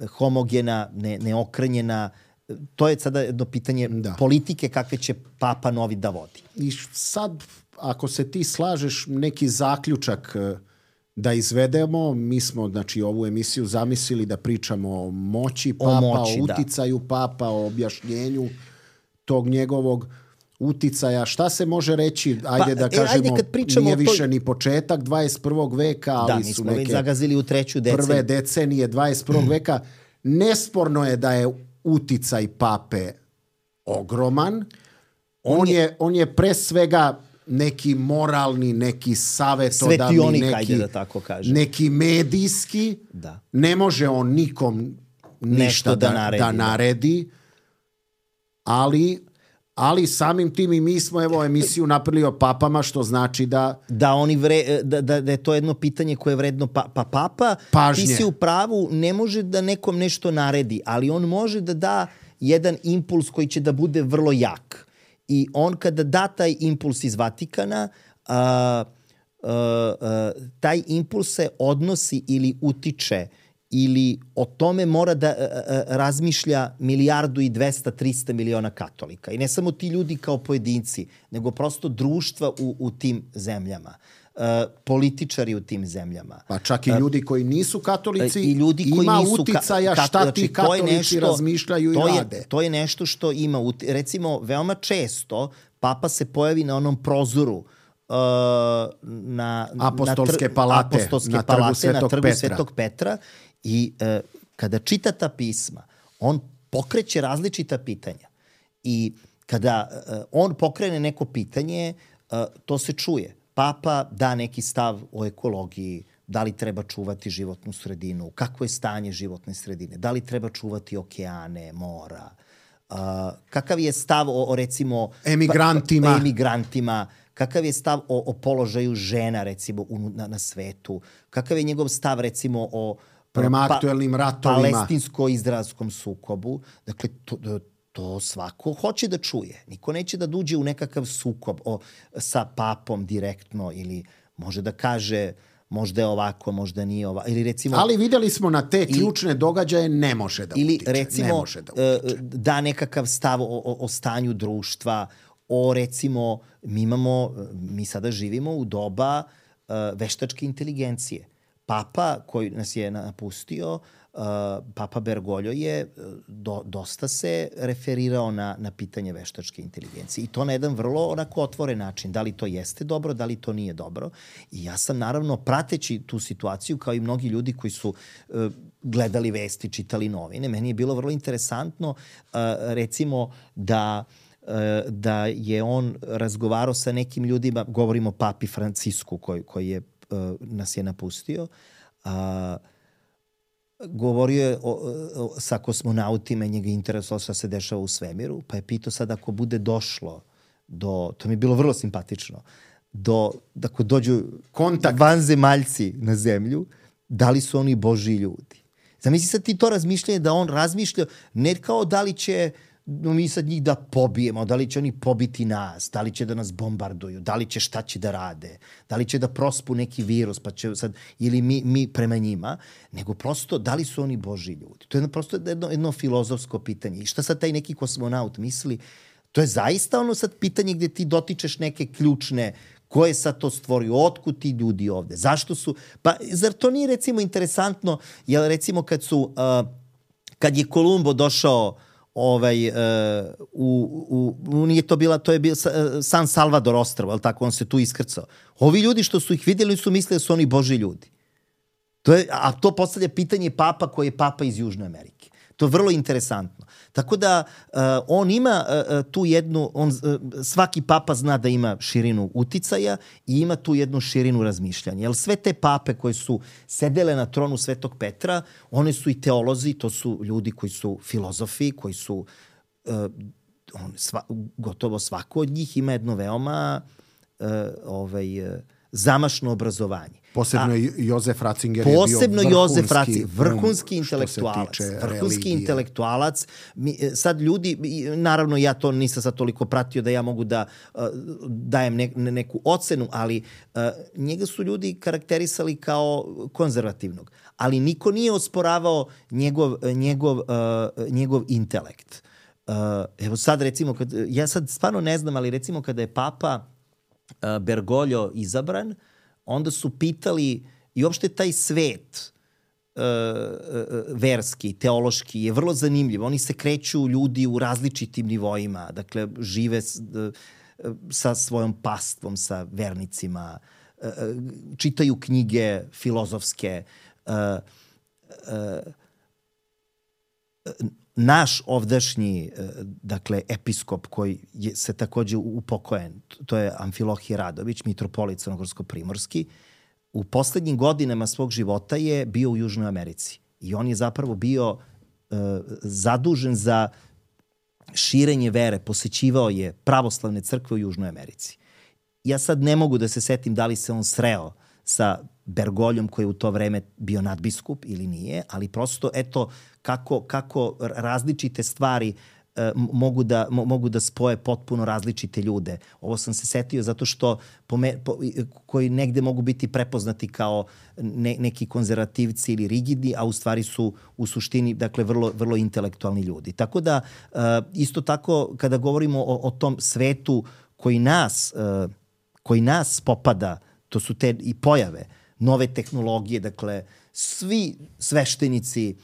homogena, neokrenjena. To je sada jedno pitanje politike kakve će papa novi da vodi. I sad, ako se ti slažeš, neki zaključak da izvedemo, mi smo, znači, ovu emisiju zamislili da pričamo o moći papa, o uticaju papa, o objašnjenju tog njegovog uticaja. Šta se može reći? Ajde da kažemo, nije više ni početak 21. veka, ali su neke zagazili u treću deceniju. Prve decenije 21. veka. Nesporno je da je uticaj pape ogroman. On je pre svega neki moralni, neki savetodavni, neki medijski. Da. Ne može on nikom ništa da naredi. Ali samim tim i mi smo emisiju napravili o papama, što znači da je to jedno pitanje koje je vredno papa. Pažnje. Ti si u pravu, ne može da nekom nešto naredi, ali on može da da jedan impuls koji će da bude vrlo jak. I on kada da taj impuls iz Vatikana, taj impuls se odnosi ili utiče ili o tome mora da razmišlja 1.200.000.000-300 miliona katolika. I ne samo ti ljudi kao pojedinci, nego prosto društva u tim zemljama, političari u tim zemljama. Pa čak i ljudi koji nisu katolici, i ljudi koji ima uticaja šta ti katolici razmišljaju i rade. To je nešto što ima, recimo, veoma često Papa se pojavi na onom prozoru na Apostolske palate, na trgu Svetog Petra i kada čita ta pisma, on pokreće različita pitanja. I kada on pokrene neko pitanje, to se čuje. Papa da neki stav o ekologiji, da li treba čuvati životnu sredinu, kako je stanje životne sredine, da li treba čuvati okeane, mora, kakav je stav o recimo emigrantima, kakav je stav o položaju žena recimo na svetu, kakav je njegov stav recimo o prema aktuelnim ratovima, palestinsko-izraelskom sukobu. Dakle, to svako hoće da čuje. Niko neće da duđe u nekakav sukob sa papom direktno ili može da kaže možda je ovako, možda nije ovako. Ili recimo, ali videli smo na te ključne događaje ne može da utiče. Ili recimo da nekakav stav o stanju društva, o recimo mi sada živimo u doba veštačke inteligencije. Papa koji nas je napustio, Papa Bergoglio je dosta se referirao na pitanje veštačke inteligencije. I to na jedan vrlo onako otvoren način. Da li to jeste dobro, da li to nije dobro. I ja sam naravno prateći tu situaciju kao i mnogi ljudi koji su gledali vesti, čitali novine. Meni je bilo vrlo interesantno recimo da je on razgovarao sa nekim ljudima, govorimo o papi Francisku koji nas je napustio, govorio je sa kosmonautima i njega interesovalo šta se dešava u svemiru, pa je pitao sad ako bude došlo to mi je bilo vrlo simpatično, ako dođu vanzemaljci na zemlju, da li su oni Božji ljudi. Zamisli sad ti to razmišljanje da on razmišlja ne kao da li će mi sad njih da pobijemo, da li će oni pobiti nas, da li će da nas bombarduju, da li će šta će da rade, da li će da prospu neki virus, pa će sad, ili mi prema njima, nego prosto da li su oni Božji ljudi. To je prosto jedno filozofsko pitanje. I šta sad taj neki kosmonaut misli? To je zaista ono sad pitanje gde ti dotičeš neke ključne, ko je sad to stvorio, otkud ti ljudi ovde, zašto su, pa zar to nije recimo interesantno, jer recimo kad je Kolumbo došao nije to bila, to je bio San Salvador ostrvo, ali tako, on se tu iskrcao. Ovi ljudi što su ih vidjeli su mislili da su oni Božji ljudi. A to postavlja pitanje papa koji je papa iz Južne Amerike. To je vrlo interesantno. Tako da on ima tu jednu, svaki papa zna da ima širinu uticaja i ima tu jednu širinu razmišljanja. Jer sve te pape koje su sedele na tronu Svetog Petra, one su i teolozi, to su ljudi koji su filozofi, koji su, gotovo svako od njih ima jedno veoma zamašno obrazovanje. Posebno Jozef Ratzinger je bio vrhunski intelektualac. Sad ljudi, naravno ja to nisam sad toliko pratio da ja mogu da dajem neku ocenu, ali njega su ljudi karakterisali kao konzervativnog. Ali niko nije osporavao njegov intelekt. Evo sad recimo, ja sad stvarno ne znam, ali recimo kada je Papa Bergoglio izabran, onda su pitali i uopšte taj svet verski, teološki je vrlo zanimljiv. Oni se kreću ljudi u različitim nivoima, dakle žive sa svojom pastvom, sa vernicima, čitaju knjige filozofske. Naš ovdašnji, dakle, episkop koji se takođe upokojen, to je Amfilohije Radović, mitropolit crnogorsko-primorski, u poslednjim godinama svog života je bio u Južnoj Americi. I on je zapravo bio zadužen za širenje vere, posećivao je pravoslavne crkve u Južnoj Americi. Ja sad ne mogu da se setim da li se on sreo sa Bergoljom koji je u to vreme bio nadbiskup ili nije, ali prosto eto kako različite stvari mogu da spoje potpuno različite ljude. Ovo sam se setio zato što koji negde mogu biti prepoznati kao neki konzervativci ili rigidni, a u stvari su u suštini dakle vrlo, vrlo intelektualni ljudi. Tako da isto tako kada govorimo o tom svetu koji nas popada, to su te i pojave, nove tehnologije, dakle svi sveštenici,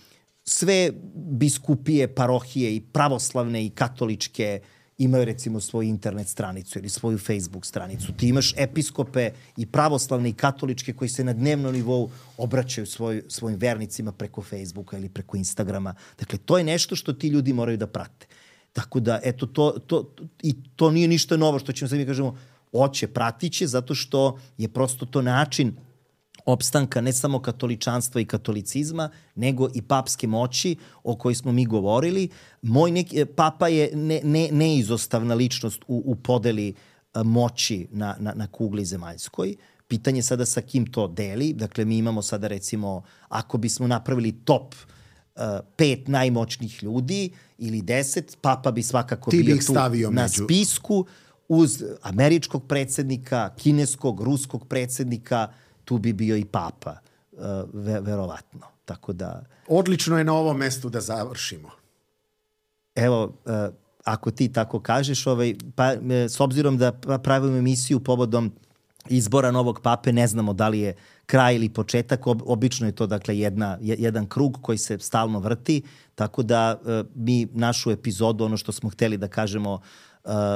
sve biskupije, parohije i pravoslavne i katoličke imaju recimo svoju internet stranicu ili svoju Facebook stranicu. Ti imaš episkope i pravoslavne i katoličke koji se na dnevnom nivou obraćaju svojim vernicima preko Facebooka ili preko Instagrama. Dakle, to je nešto što ti ljudi moraju da prate. Tako da, eto, to nije ništa novo što ćemo sad mi kažemo, pratiće, zato što je prosto to način opstanka ne samo katoličanstva i katolicizma, nego i papske moći o kojoj smo mi govorili. Papa je neizostavna ličnost u podeli moći na kugli zemaljskoj. Pitanje sada sa kim to deli. Dakle, mi imamo sada recimo, ako bismo napravili top 5 najmoćnijih ljudi ili 10, papa bi svakako bio tu na spisku uz američkog predsjednika, kineskog, ruskog predsjednika, tu bi bio i papa, verovatno. Tako da... Odlično je na ovom mestu da završimo. Evo, ako ti tako kažeš, s obzirom da pravimo emisiju povodom izbora novog pape, ne znamo da li je kraj ili početak, obično je to dakle jedan krug koji se stalno vrti, tako da mi našu epizodu, ono što smo hteli da kažemo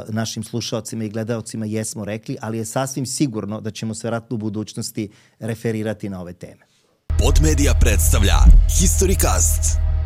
našim slušaocima i gledaocima jesmo rekli, ali je sasvim sigurno da ćemo se vjerojatno u budućnosti referirati na ove teme. Podmedia predstavlja Historycast.